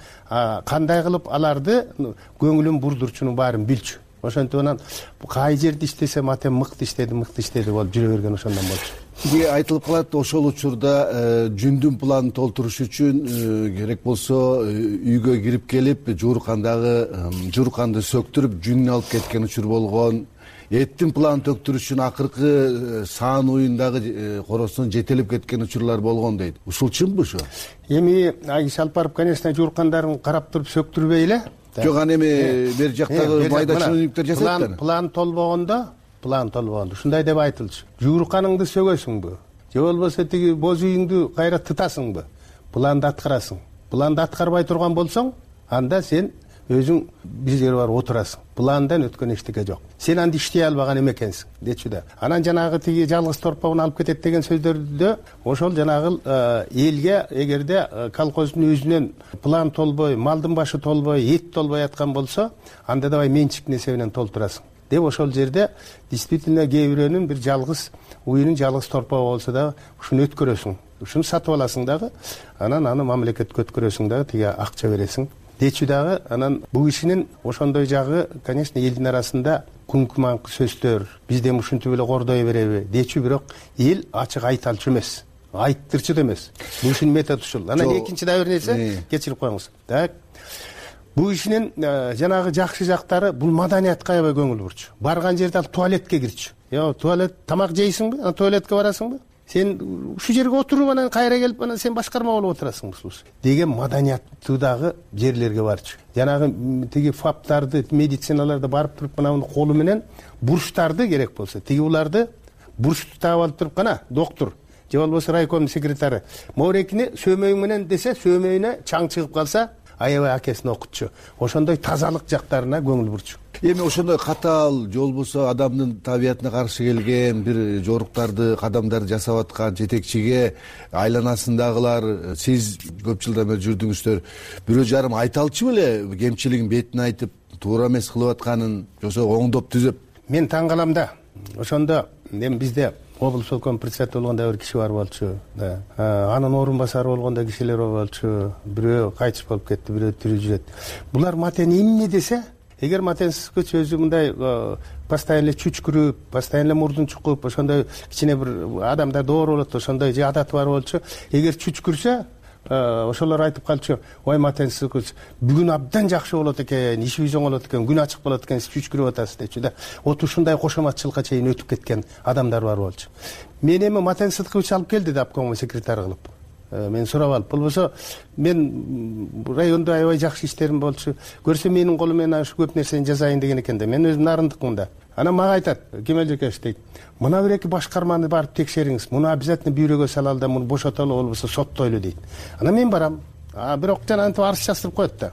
кандай кылып аларды көңүлүн бурдурчунун баарын билчү. Ошентип анан кай жерде иштесе Матен мыкты иштеди, мыкты иштеди болуп жүрө берген ошондон болчу. Бизге айтылып калат, ошол учурда жүндүн планын толтуруш үчүн керек болсо үйгө кирип келип, жууркандагы жуурканды сөктүрүп, жүнүн алып кеткен учур болгон. Эттин планын төктүрүш үчүн акыркы саан уюндагы коросун жетелеп кеткен учурлар болгон дейт. Ушул чынбы ушу? Эми Айгиз алып барып, конечно, жууркандарын карап туруп сөктүрбөй эле. Жок, ана эми бер жактагы майда чыныбектер жасайт да. План толбогондо, план толбогондо ушундай деп айтылчу. Жуурканыңды сөгөсүңбү? Же болбосо тиги боз үйүңдү кайра тытасыңбы? Планды аткарасың. Планды аткарбай турган болсоң, анда сен өзүң бир жерге барып отурасың. Пландан өткөн эчтеке жок. Сен анды иштей албаган эмекенсиң, дечү да. Анан жанагы тиги жалгыз торпогун алып кетет деген сөздөрдө ошол жанагы элге эгерде колхоздун өзүнөн план толбой, малдын башы толбой, эт толбой аткан болсо, анда давай менчик нерсе менен толтурасың деп ошол жерде действительно кээ бирөөнүн бир жалгыз уюнун жалгыз торпогу болсо дагы ушуну өткөрөсүң. Ушуну сатып аласың дагы, анан аны мамлекетке өткөрөсүң дагы, тиги акча бересиң. Дечү дагы, анан бул кишинин ошондой жагы, конечно, элдин арасында күнкү маңкы сөздөр, бизден ушинтип эле кордой береби дечү, бирок эл ачык айта алчу эмес, айттырчу да эмес. Бул кишинин методу ушул. Анан экинчи да бир нерсе, кечирип коюңуз. Так. Бул кишинин жанагы жакшы жактары, бул маданиятка аябай көңүл бурчу. Барган жерде ал туалетке кирчү. Yo, туалет тамак жейсиңби? Анан туалетке барасыңбы? Сен ушу жерге отуруп, анан кайра келип, анан сен башкарма болуп отурасың деген маданияттуудагы жерлерге барчу. Жанагы тиги фаптарды, медициналарды барып туруп, мына колу менен бурчтарды керек болсо, тиги уларды бурчту таап алып туруп, кана доктор же болбосо райком секретары моорекини сөөмөйүң менен десе, сөөмөйүнө чаң чыгып калса, аябай акесин окутчу. Ошондой тазалык жактарына көңүл бурчу. Эми ошондой катаал же болбосо адамдын табиятына каршы келген бир жоруктарды, кадамдарды жасап аткан жетекчиге айланасындагылар, сиз көп жылдан бери жүрдүңүздөр, бирөө жарым айта алчу беле кемчилигин бетине айтып, туура эмес кылып атканын, жоксо оңдоп түзөп? Мен таң калам да. Ошондо эми бизде облсполком председатель болгондо бир киши бар болчу. Анын орун басары болгондо кишилер болчу. Бирөө кайтыш болуп кетти, бирөө тирүү жүрөт. Булар Матен эмне десе, эгер Матенсиз өзү мындай постоянно чүчкүрүп, постоянно мурдун чукуп, ошондой кичине бир адамдар доор болот, ошондой же адаты бар болчу. Эгер чүчкүрсө, ошолор айтып калчу, ой Матенсиз бүгүн абдан жакшы болот экен, ишибиз оңолот экен, күн ачык болот экен, сиз чүчкүрүп атасыз дечү да. Вот ушундай кошоматчылыкка чейин өтүп кеткен адамдар бар болчу. Мен эми Матен Сыдыкович алып келди да обкомго секретарь кылып. Мен сурап алып, болбосо мен райондо аябай жакшы иштерим болчу. Көрсө менин колум менен ушу көп нерсени жасайын деген экен да. Мен өзүм нарындыкмын да. Анан мага айтат, Кемел Жекеевич дейт, мына бир эки башкарманы барып текшериңиз, муну обязательно бюрөгө салалы да, муну бошотолу, болбосо соттойлу дейт. Анан мен барам. А бирок жанагынтип арыз жаздырып коет да.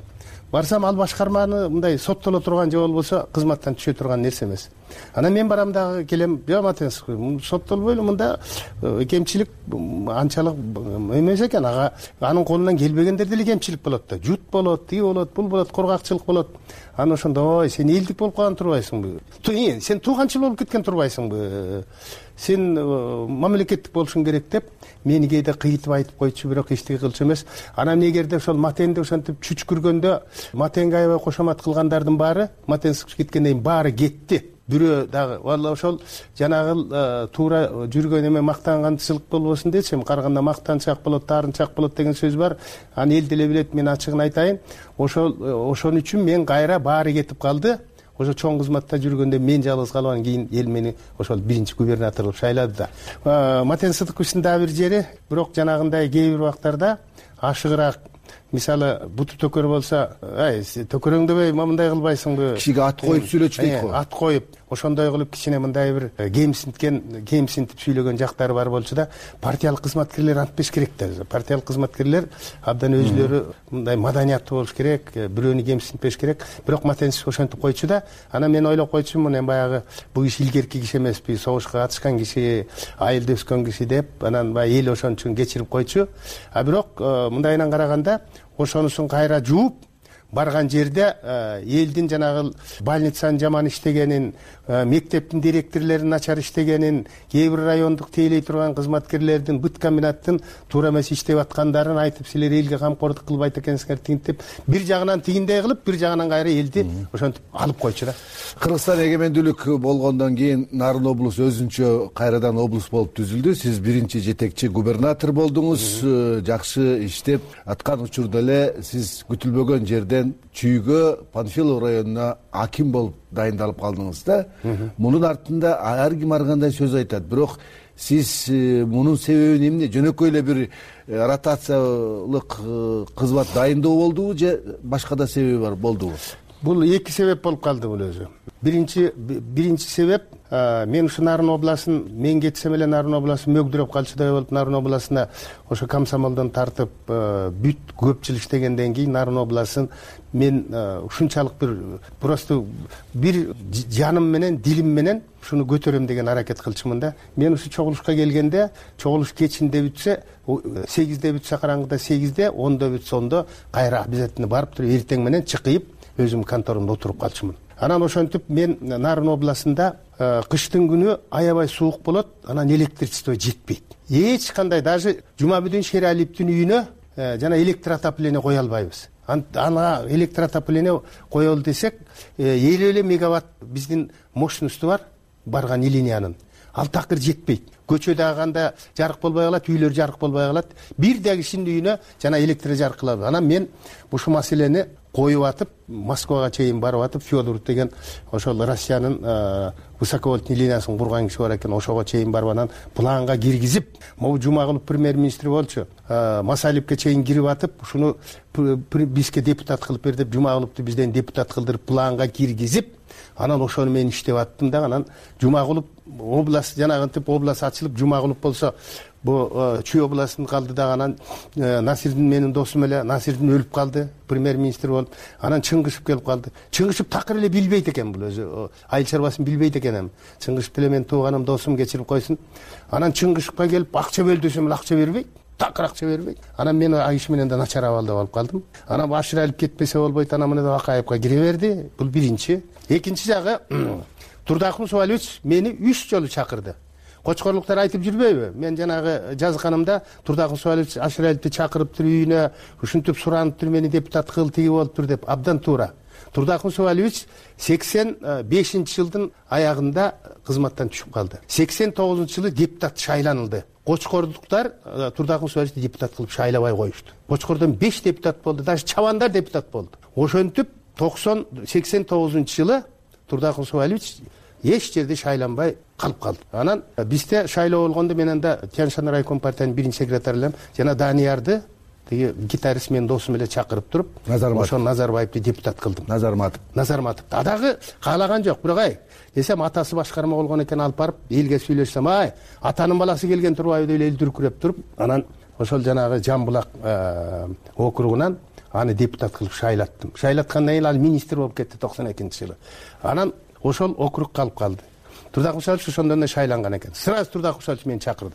Барсам ал башкарманы мындай соттоло турган же болбосо кызматтан түшө турган нерсе эмес. Анан мен барам дагы келем, жок Матенсиз, соттолбойлу, мында кемчилик анчалык эмес экен, ага анын колунан келбегендер деле кемчилик болот да. Жут болот, тиги болот, бул болот, коргакчылык болот. Анан ошондо, ой, сен элдик болуп калган турбайсыңбы? Сен тууганчыл болуп кеткен турбайсыңбы? Сен мамлекеттик болушуң керек деп мени кээде кыйытып айтып койчу, бирок эчтеке кылчу эмес. Анан эгерде ошол Матенди ошентип чүчкүргөндө, Матенге аябай кошомат кылгандардын баары, Матенсиз кеткенден кийин баары кетти. Бирөө дагы валла ошол жанагы туура жүргөн эме мактанганчылык болбосун дечи, караганда мактанчак болот, таарынчак болот деген сөз бар. Аны эл деле билет, мен ачыгын айтайын. Ошол ошон үчүн мен кайра баары кетип калды. Ошо чоң кызматта жүргөндө мен жалгыз калып, анан кийин эл мени ошол биринчи губернатор кылып шайлады да. Матен Сыдыковичтин дагы бир жери, бирок жанагындай кээ бир убактарда ашыгыраак мисалы буту төкөр болсо, ай төкөрөңдөбөй мындай кылбайсыңбы, кишиге ат коюп сүйлөчү дейт го. Ат коюп ошондой кылып кичине мындай бир кемсинткен кемсинтип сүйлөгөн жактары бар болчу да, партиялык кызматкерлер антпеш керек да. Партиялык кызматкерлер абдан өзүлөрү мындай маданияттуу болуш керек, бирөөнү кемсинтпеш керек. Бирок Матенсип ошентип койчу да. Анан мен ойлоп койчумун, эми баягы бул киши илгерки киши эмеспи, согушка катышкан киши, айылда өскөн киши деп, анан баягы эл ошон үчүн кечирип койчу. А бирок мындайынан караганда ошонусун кайра жууп барган жерде элдин жанагы больницанын жаман иштегенин, мектептин директорлорунун начар иштегенин, кээ бир райондук тейлей турган кызматкерлердин бүт комбинаттын туура эмес иштеп аткандарын айтып, силер элге камкордук кылбайт экенсиңер тигинтип, бир жагынан тигиндей кылып, бир жагынан кайра элди ошентип алып койчу да. Кыргызстан эгемендүүлүк болгондон кийин Нарын облусу өзүнчө кайрадан облус болуп түзүлдү. Сиз биринчи жетекчи губернатор болдуңуз, жакшы иштеп аткан учурда эле сиз күтүлбөгөн жерде Чүйгө, Панфилов районуна аким болуп дайындалып калдыңыз да. Мунун артында ар ким ар кандай сөз айтат. Бирок сиз мунун себеби эмне? Жөнөкөй эле бир ротациялык кызмат дайындоо болдубу же башка да себеби бар болдубу? Бул эки себеп болуп калды бул өзү. Биринчи биринчи себеп, мен ушу Нарын областын, мен кетсем эле Нарын областын мөгдүрөп калчудай болуп, Нарын областына ошо комсомолдон тартып бүт көп жыл иштегенден кийин Нарын областын мен ушунчалык бир просто бир жаным менен, дилим менен ушуну көтөрөм деген аракет кылчумун да. Мен ушу чогулушка келгенде, чогулуш кечинде бүтсө, сегизде бүтсө караңгыда сегизде, ондо бүтсө ондо кайра обязательно барып туруп эртең менен чыкыйып өзүм конторумда отуруп калчумун. Анан ошентип мен Нарын областында кыштын күнү аябай суук болот, анан электричество жетпейт. Эч кандай, даже Жумабүдүн Шералиевдин үйүнө жана электроотопление кое албайбыз. Ага электроотопление коелу десек, элүү элүү мегаватт биздин мощносту бар барган линиянын. Ал такыр жетпейт. Көчөдө канда жарык болбой калат, үйлөр жарык болбой калат. Бир да кишинин үйүнө жана электр жарык кылабыз. Анан мен ушул маселени коюп атып, Москвага чейин барып атып, Федоров деген ошол Россиянын высоковольтный линиясын курган киши бар экен, ошого чейин барып анан планга киргизип, могу Жумагулов премьер-министр болчу, Масалипке чейин кирип атып, ушуну бизге депутат кылып бер деп, Жумагуловду бизден депутат кылдырып планга киргизип, анан ошону мен иштеп аттым да. Анан Жумагулов область жанагынтип область ачылып, Жумагулов болсо бу Чүй областын калды да. Анан Насирдин менин досум эле, Насирдин өлүп калды, премьер-министр болуп. Анан Чыңгышев келип калды. Чыңгышев такыр эле билбейт экен бул өзү, айыл чарбасын билбейт экен эми. Чыңгышев деле мен тууганым, досум, кечирип койсун. Анан Чыңгышевке келип акча бөл десем эле акча бербейт. Такыр акча бербейт. Анан мен айыш менен да начар абалда болуп калдым. Анан Баширалиев кетпесе болбойт, анан мына Акаевка кире берди. Бул биринчи. Экинчи жагы, Турдакун Субалевич мени үч жолу чакырды. Кочкорлуктар айтып жүрбөйбү? Мен жанагы жазганымда Турдакун Субалевич Аширалиевди чакырыптыр үйүнө, ушинтип сураныптыр, мени депутат кыл, тиги болуптур деп. Абдан туура. Турдакун Субалевич сексен бешинчи жылдын аягында кызматтан түшүп калды. сексен тогузунчу жылы депутат шайланылды. Кочкордуктар Турдакун Субалевичти депутат кылып шайлабай коюшту. Кочкордон беш депутат болду, даже чабандар депутат болду. Ошентип токсон сексен тогузунчу жылы Турдакун Субалевич эч жерде шайланбай калып калды. Анан бизде шайлоо болгондо мен анда Тянь-Шань райком партиянын биринчи секретарылам жана Даниярды, тиги гитарист менин досум эле чакырып туруп, ошо Назарбаевди депутат кылдым. Назарматов. Назарматов. Адагы каалаган жок, бирок ай, десем атасы башкарма болгон экен, алып барып элге сүйлөшсөм, ай, атанын баласы келген турбайбы деп эл дүркүрөп туруп, анан ошол жанагы Жамбулак округунан аны депутат кылып шайлаттым. Шайлаткандан кийин ал министр болуп кетти токсон экинчи жылы. Анан ошол округ калып калды. Турдакун Субалевич ошондон эле шайланган экен. Сразу Турдакун Субалевич мени чакырды.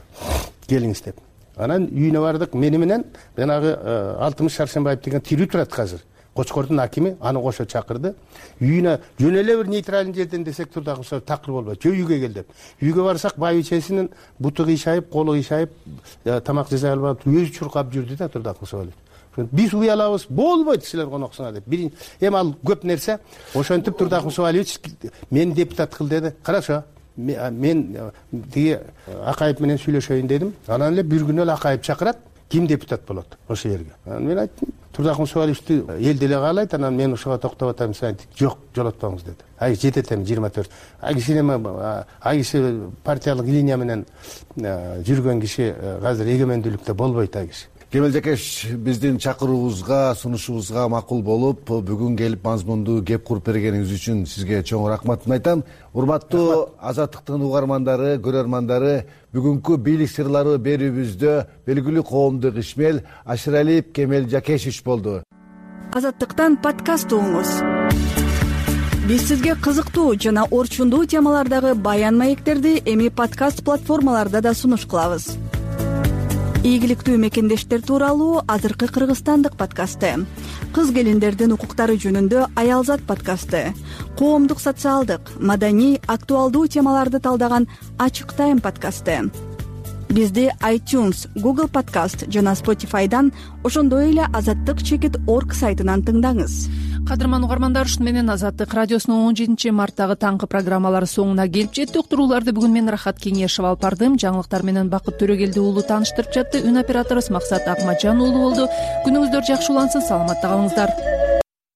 Келиңиз деп. Анан үйүнө бардык. Мени менен жанагы Алтымыш Шаршембаев деген тирүү турат азыр. Кочкордун акими аны кошо чакырды. Үйүнө жөн эле бир нейтралдуу жерден десек Турдакун Субалевич такыр болбойт. Жөө үйгө кел деп. Үйгө барсак байбичесинин буту кыйшайып, колу кыйшайып, тамак жасай албай өзү чуркап жүрдү да Турдакун Субалевич. Биз уялабыз, болбойт силер коноксуңар деп. Бир эми ал көп нерсе. Ошентип Турдакун Субалевич мени депутат кыл деди. Хорошо. Мен тиги Акаев менен сүйлөшөйүн дедим. Анан эле бир күнү эле Акаев чакырат, ким депутат болот ошол жерге. Анан мен айттым, Турдакун Субалевичти эл деле каалайт, анан мен ошого токтоп атам, сен айттым, жок, жолотпоңуз деди. Ай жетет эми жыйырма төрт. Ай киши эми ай киши партиялык линия менен жүргөн киши азыр эгемендүүлүктө болбойт ай киши. кемел жакеш биздин чакыруубузга, сунушубузга макул болуп бүгүн келип мазмундуу кеп куруп бергениңиз үчүн сизге чоң рахматымды айтам. Урматтуу Азаттыктын угармандары, көрөрмандары, бүгүнкү бийлик сырлары берүүбүздө белгилүү коомдук ишмер Ашыралиев Кемел Жакешевич болду. Азаттыктан подкаст угуңуз. Биз сизге кызыктуу жана орчундуу темалардагы баян маектерди эми подкаст платформаларда да сунуш кылабыз. Ийгиликтүү мекендештер тууралуу азыркы кыргызстандык подкасты, кыз келиндердин укуктары жөнүндө Аялзат подкасты, коомдук, социалдык, маданий, актуалдуу темаларды талдаган Ачык Тайм подкасты. Бизди iTunes, Google Podcast жана Spotify'дан, ошондой эле азаттык чекит орг сайтынан тыңдаңыз. Кадырман угармандар, ушуну менен Азаттык радиосунун он жетинчи марттагы таңкы программалары соңуна келип жетти. Уктурууларды бүгүн мен Рахат Кеңешев алып бардым. Жаңылыктар менен Бакыт Төрөгелди уулу тааныштырып жатты. Үн операторубуз Максат Акматжан уулу болду. Күнүңүздөр жакшы улансын, саламатта калыңыздар.